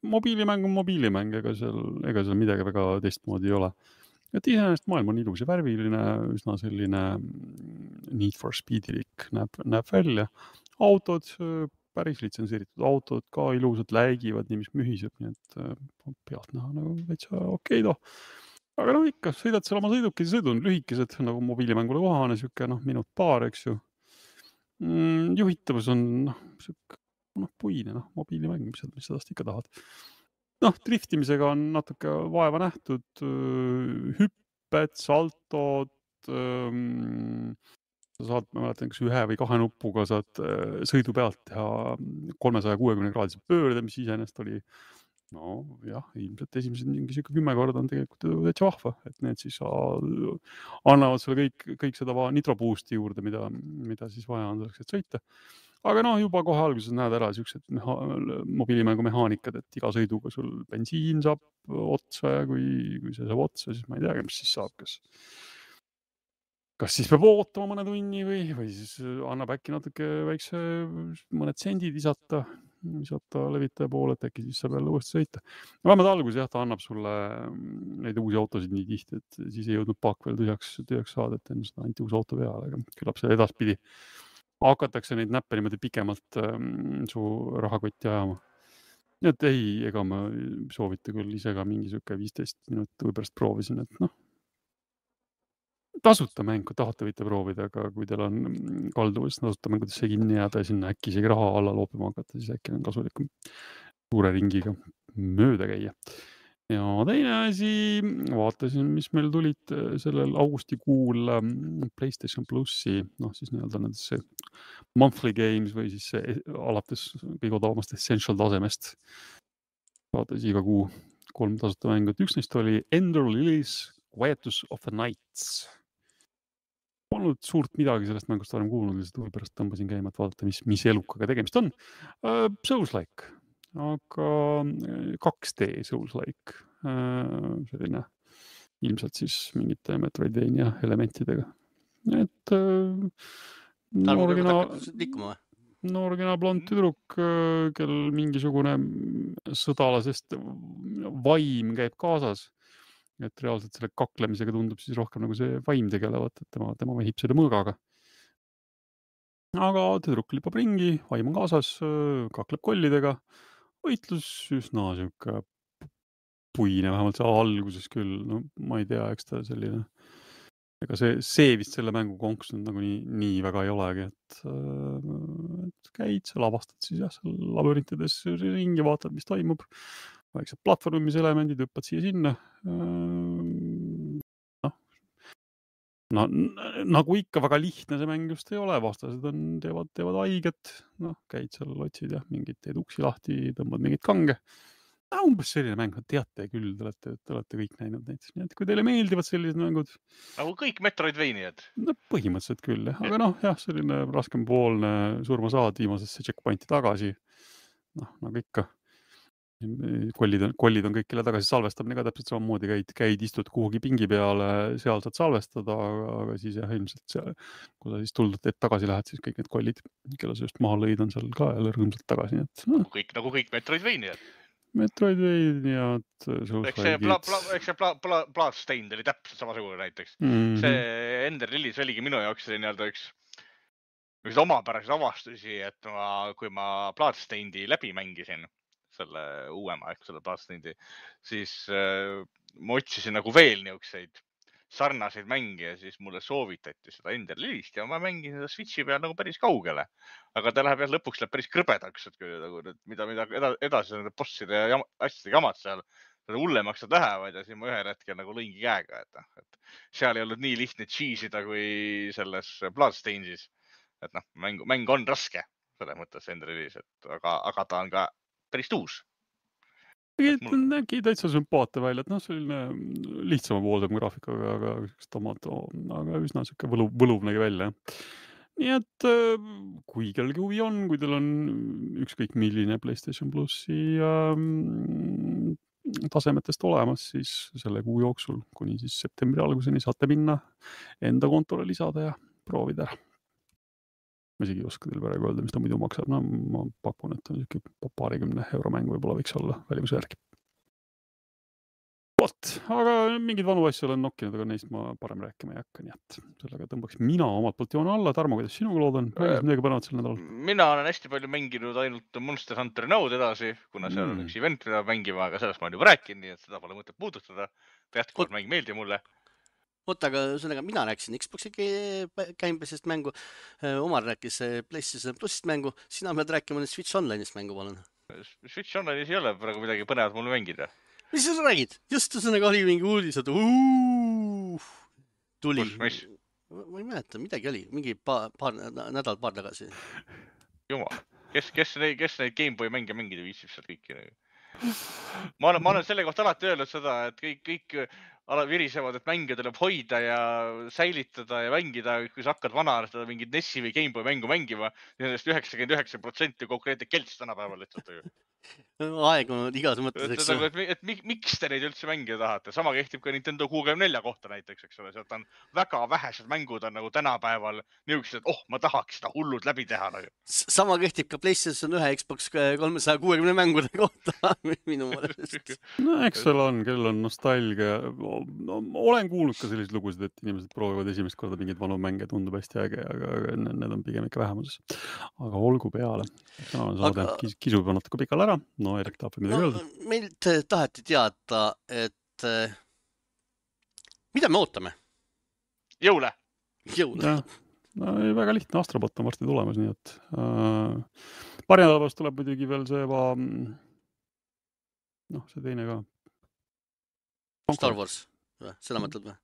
mobiilimäng on mobiilimäng, ega seal, ega seal midagi väga teistmoodi ei ole. Et iseenesest maailm on ilus ja värviline, üsna selline Need for Speedilik näeb, näeb välja. Autod, päris litsenseeritud autod ka ilusad läigivad, nii mis mühiseb, nii et pealt näha nagu veitsa okei toh. Aga no ikka, sõidad seal oma sõidukid ja sõidun lühikesed, nagu mobiilimängule kohane, siuke noh, minut paar, eks ju. Mm, juhitavus on noh, siuke noh, puine, noh, mobiilimäng, mis, mis sedast ikka tahad. Noh, driftimisega on natuke vaeva nähtud, hüpped, saltod, sa saad, ma mäletan, kas ühe või kahe nupuga saad sõidu pealt teha kolmesaja kuuekümne kraadise pöörde, mis iseenesest oli, no jah, ilmselt esimesed mingi siuke kümme korda on tegelikult täitsa vahva, et need siis annavad sulle kõik, kõik seda nitro boost'i juurde, mida, mida siis vaja on selleks, et sõita. Aga noh, juba kohe alguses näed ära siuksed meha- mobiilimängu mehaanikad, et iga sõiduga sul bensiin saab otsa ja kui, kui see saab otsa, siis ma ei teagi, mis siis saab, kas, kas siis peab ootama mõne tunni või, või siis annab äkki natuke väikse mõned sendid isata, isata levitaja poole, et äkki siis saab jälle uuesti sõita. Vähemalt alguses jah, ta annab sulle neid uusi autosid nii tihti, et siis ei jõudnud paak veel tühjaks, tühjaks saada, et enne seda anti uus auto peale, aga küllap see edaspidi hakatakse neid näppe niimoodi pikemalt ähm, su rahakotti ajama. Nii et ei, ega ma soovita küll ise ka mingi siuke viisteist minutit või pärast proovisin, et noh, tasuta mäng, kui tahate võite proovida, aga kui teil on kalduvus tasuta mängudesse kinni jääda ja sinna äkki isegi raha alla loopima hakata, siis äkki on kasulikum suure ringiga mööda käia. Ja teine asi, vaatasin, mis meil tulid sellel augustikuul PlayStation Plussi, noh siis nii-öelda nendesse monthly games või siis see alates kõige odavamast Essential tasemest. Vaatasin iga kuu kolm tasuta mängu. Üks neist oli Ender Lilies Quietus of the Nights. Polnud suurt midagi sellest mängust varem kuulnud, lihtsalt huvi pärast tõmbasin käima, et vaadata, mis, mis elukaga tegemist on. Uh, Souls-like. Aga kaks D Souls-like, selline ilmselt siis mingite Metroidvania elementidega. Et noorgina, noorgina blond tüdruk, kel mingisugune sõdalasest vaim käib kaasas. Et reaalselt selle kaklemisega tundub siis rohkem nagu see vaim tegelevat, et tema, tema vehib selle mõõgaga. Aga tüdruk lipab ringi, vaim on kaasas, kakleb kollidega. Võitlus üsna siuke puine, vähemalt see alguses küll, no ma ei tea, eks ta selline, ega see, see vist selle mängu konks nüüd nagu nii, nii väga ei olegi, et, et käid, sa lavastad siis jah, seal labürintides ringi, vaatad, mis toimub, väiksed platvormimiselemendid, hüppad siia sinna, noh, no, nagu ikka väga lihtne see mäng just ei ole, vastased on, teevad, teevad haiget, noh, käid seal, otsid jah, mingid teed uksi lahti, tõmbad mingid kange. No, umbes selline mäng, teate küll, te olete, te olete kõik näinud neid. Nii et kui teile meeldivad sellised mängud... Nagu kõik Metroidvaniad. No põhimõtteliselt küll, jah. Aga noh, jah, selline raskenpoolne surma saad viimasesse checkpointi tagasi. Noh, nagu ikka. Kollid on, kollid on kõikile tagasi salvestamine ka täpselt samamoodi, käid, käid istud kuhugi pingi peale, seal saad salvestada, aga siis jah, ilmselt seal, kui sa siis tuldud teed tagasi lähed, siis kõik need kollid, kelle sa just maha lõid, on seal ka jälle rõõmsalt tagasi. Et, no. nagu, kõik, nagu kõik Metroidvaniad. Metroidvaniad, eks see pla, pla, eks see pla, pla, Bloodstained oli täpselt samasugune näiteks. Mm-hmm. See Ender Lilies oligi minu jaoks see nii-öelda üks, üks omapäraseid avastusi, et ma, kui ma Bloodstainedi läbi mängisin, selle uuema, ehk selle Bloodstainedi, siis äh, ma otsisin nagu veel niukseid sarnaseid mänge ja siis mulle soovitati seda Ender Lilist ja ma mängin seda Switchi peal nagu päris kaugele. Aga ta läheb jah, lõpuks läheb päris krõbedaks, et kui nagu, mida, mida edasi nende bosside ja jam, asjade jamad seal, seda hullemaks nad lähevad ja siin ma ühel hetkel nagu lõingi käega, et, et seal ei olnud nii lihtne cheese'ida kui selles Bloodstainsis. Et noh, mäng, mäng on raske selles mõttes Ender Lilis, et aga, aga ta on ka päris tuus. Nägi täitsa sümpaate välja, et noh, selline lihtsama poolsem graafikaga, aga tomato, aga üsna siuke võluv, võluv nägi välja. Nii et kui kellelgi huvi on, kui teil on ükskõik milline PlayStation Plussi ähm, tasemetest olemas, siis selle kuu jooksul kuni siis septembri alguseni saate minna enda kontole lisada ja proovida ära. Ma isegi ei oska teil praegu öelda, mis ta muidu maksab. No, ma pakun, et on niisugune paarikümne euro mäng võib-olla võiks olla välimuse järgi. Vot, aga mingid vanu asju olen nokkinud, aga neist ma parem rääkima ei hakka, nii et sellega tõmbaks mina omalt poolt joone alla. Tarmo, kuidas sinuga lood on? Mängis midagi panevad sel nädalal? Mina olen hästi palju mänginud ainult Monster Hunter Node edasi, kuna seal on üks event, mida mängima, aga sellest ma olen juba rääkinud, nii et seda pole mõtet puudutada. Jätkuvalt mäng meeldi mulle. Oota, aga sellega mina rääkisin Xbox'i käimbesest mängu, Omar rääkis PlayStation Plusist mängu, sina pead rääkima nüüd Switch Online'ist mängu, palun. Switch Online'is ei ole praegu midagi põnevat mulle mängida. Mis sa räägid? Just ühesõnaga oli mingi uudis, et uuuuh, tuli. Mis? Ma ei mäleta, midagi oli, mingi paar, paar nädal, paar tagasi. Jumal, kes, kes, neid, kes neid Gameboy mänge mängida viitsib seal kõiki? Ma olen, ma olen selle kohta alati öelnud seda, et kõik, kõik virisevad, et mänge tuleb hoida ja säilitada ja mängida, kui sa hakkad vanarastada mingid Nessi või Gameboy mängu mängima, nendest üheksakümmend üheksa protsenti konkreetne kelts tänapäeval lihtsalt. Aegunud igas mõttes, eks. Et, et, et, et miks te neid üldse mängida tahate? Sama kehtib ka Nintendo kuuekümne nelja kohta näiteks, eks ole. Sealt on väga vähesed mängud on nagu tänapäeval niisugused, et oh, ma tahaks seda hullud läbi teha. Nagu. Sama kehtib ka PlayStation ühe Xbox kolmesaja kuuekümne mängude kohta minu mõelest. No eks seal on, kellel on nostalgia. No, olen kuulnud ka selliseid lugusid, et inimesed proovivad esimest korda mingid vanu mänge, tundub hästi äge, aga need on pigem ikka vähemuses. Aga olgu peale. Täna on saade, aga... kisu juba natuke pikal ära. No Erik tahab midagi öelda. No, meilt taheti teada, et mida me ootame? Jõule. Jõule. No, ei, väga lihtne. Astrobot on varsti tulemas, nii et äh, paari nädalast tuleb muidugi veel see va, noh, see teine ka. Concord. Star Wars. Seda mõtled või?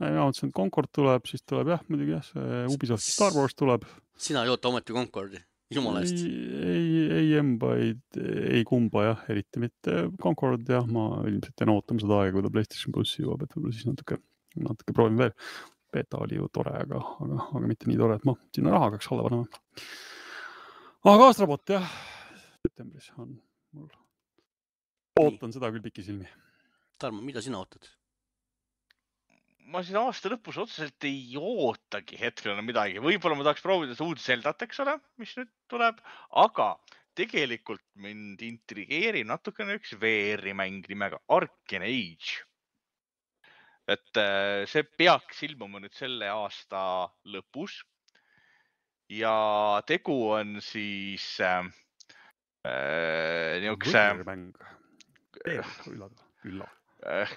Ja mõtlesin, et Concord tuleb, siis tuleb jah, muidugi jah, see Ubisoft Star Wars tuleb. Sina ei oota ometi Concordi, jumala eest. Ei, ei, ei emba, ei, ei kumba jah, eriti mitte Concord jah, ma ilmselt jään ootama seda aega, kui ta PlayStation Plussi jõuab, et võib-olla siis natuke, natuke proovin veel. Beta oli ju tore, aga, aga, aga mitte nii tore, et ma sinna raha hakkaks alla panema. Aga Astrobot jah, septembris on mul. Ootan seda küll piki silmi. Tarmo, mida sina ootad? Ma siin aasta lõpus otseselt ei ootagi hetkel enam midagi. Võib-olla ma tahaks proovida seda uud Zeldat, eks ole, mis nüüd tuleb. Aga tegelikult mind intrigeerib natukene üks V R-i mäng nimega Arcane Age. Et see peaks ilmuma nüüd selle aasta lõpus. Ja tegu on siis äh, niisuguse... Võrmäng. Üllad. Üllad. Äh,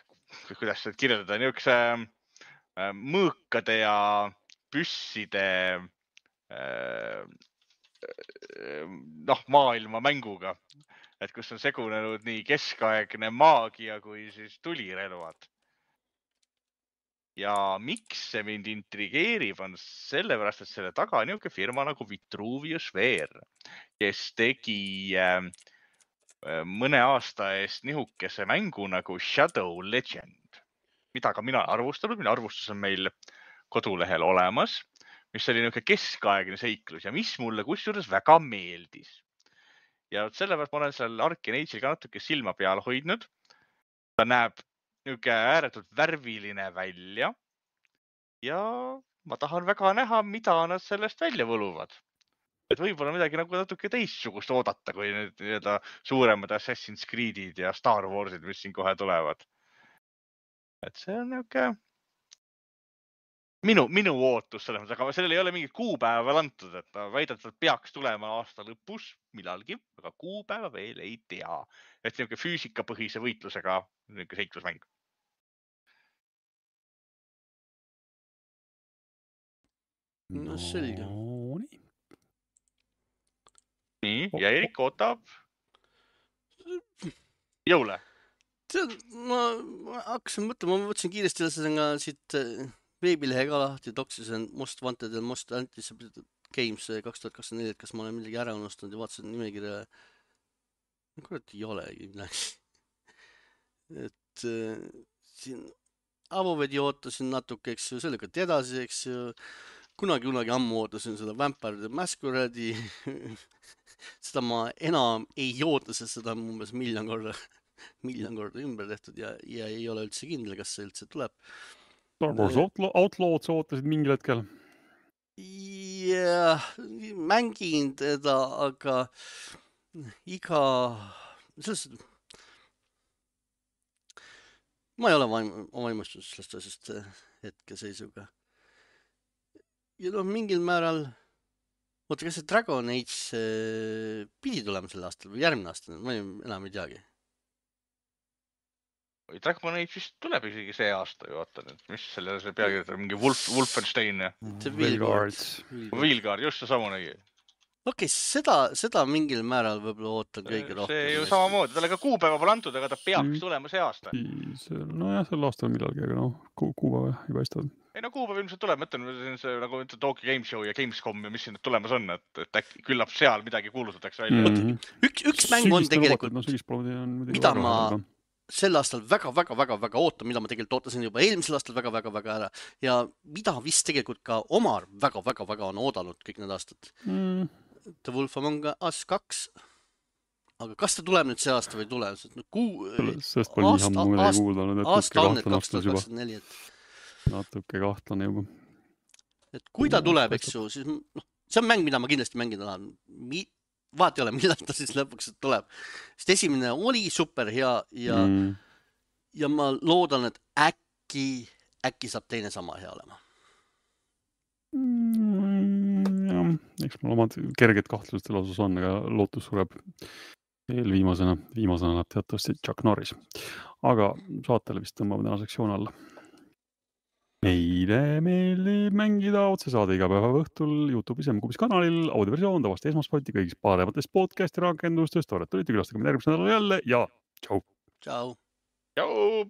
kuidas seda kirjeldada? Niisuguse äh, mõõkade ja püsside äh, noh, maailma mänguga. Et kus on segunenud nii keskaegne maagia kui siis tulirelvad. Ja miks see mind intrigeerib on sellepärast, et selle taga on niisugune firma nagu Vitruvius V R, kes tegi äh, mõne aasta eest nihukese mängu nagu Shadow Legend, mida ka mina arvustanud. Minu arvustus on meil kodulehel olemas, mis oli niisugune keskaegne seiklus ja mis mulle kusjuures väga meeldis. Ja sellepärast ma olen seal Arcane Age'il ka natuke silma peal hoidnud. Ta näeb niisugune ääretult värviline välja ja ma tahan väga näha, mida nad sellest välja võluvad. Et võib-olla midagi nagu natuke teistsugust oodata, kui need nii-öelda suuremad Assassin's Creed'id ja Star Warsid, mis siin kohe tulevad. Et see on niisugune minu, minu ootus selles mõttes, aga sellel ei ole mingit kuupäeva veel antud, et ta väidetavalt peaks tulema aasta lõpus millalgi, aga kuupäeva veel ei tea. Et niisugune füüsikapõhise võitlusega niisugune seiklusmäng. No selge. nii. Nii, O- ja Erik ootab jõule. Tead, ma, ma hakkasin mõtlema, ma võtsin kiiresti ühesõnaga siit äh, veebilehe ka lahti, Doxisen Most Wanted and Most Anticipated Games kaks tuhat kakskümmend neli, et kas ma olen midagi ära unustanud ja vaatasin nimekirja. Kurat ei olegi midagi. Et äh, siin Avovedi ootasin natuke, eks ju, see lükati edasi, eks ju. Kunagi, kunagi ammu ootasin seda Vampire the Masquerade'i. Seda ma enam ei oota, sest seda on umbes miljon korda miljon korda ümber tehtud ja, ja ei ole üldse kindel, kas see üldse tuleb. Star Wars Outlaw, Outlaw'd sa ootasid mingil hetkel? Ja mängin teda, aga iga, selles, ma ei ole vaim, vaimustus sellest asjast hetkeseisuga. Ja noh, mingil määral, oota, kas see Dragon Age pidi tulema sel aastal või järgmine aasta, ma ei, enam ei teagi. Dragon Age vist tuleb isegi see aasta ju, vaata nüüd, mis selle see pealkirjad, mingi Wolf, Wolfenstein ja Veilguard. Veilguard, just see samu nägi. Okei, okay, seda, seda mingil määral võib-olla ootan kõige rohkem. See ju samamoodi, talle ka kuupäeva pole antud, aga ta peaks mm. tulema see aasta. No jah, sel aastal millalgi, aga noh, kuupäeva ei paista. Ei no kuupäev ilmselt tuleb, mõtlen, see nagu ütled Tokyo Game Show ja Gamescom ja mis siin tulemas on, et, et äkki küllap seal midagi kuulutatakse välja. Mm -hmm. Üks, üks mäng on tegelikult, no, mida ma sel aastal väga-väga-väga-väga ootan, mida ma tegelikult ootasin juba eelmisel aastal väga-väga-väga ära ja mida vist tegelikult ka Omar väga-väga-väga on oodanud kõik need aastad. Mm. The Wolf Among Us kaks. Aga kas ta tuleb nüüd see aasta või tuleb? No, kuu... Sest pole nii ammu midagi kuuldanud, et aasta on need kaks tuhat kakskümmend neli. Natuke kahtlane juba. Et kui ta tuleb, eks ju, siis no, see on mäng, mida ma kindlasti mängida tahan. Mi... Vaat ei ole, millal ta siis lõpuks tuleb. Sest esimene oli super hea ja, mm. ja ma loodan, et äkki, äkki saab teine sama hea olema. Mm, jah, eks mul omad kerged kahtlustel osas on, aga lootus sureb eelviimasena. Viimasena näeb teatavasti Chuck Norris. Aga saatele vist tõmbame täna sektsioon alla. Meile meeldib mängida otsesaade iga päeva õhtul YouTube'is ja M-Kubis kanalil, audioversioon tavast esmaspäeviti kõigis parematest podcasti rakendustest. Tooret olite külastage meid järgmisel nädalal jälle ja tšau! Tšau! Tšau!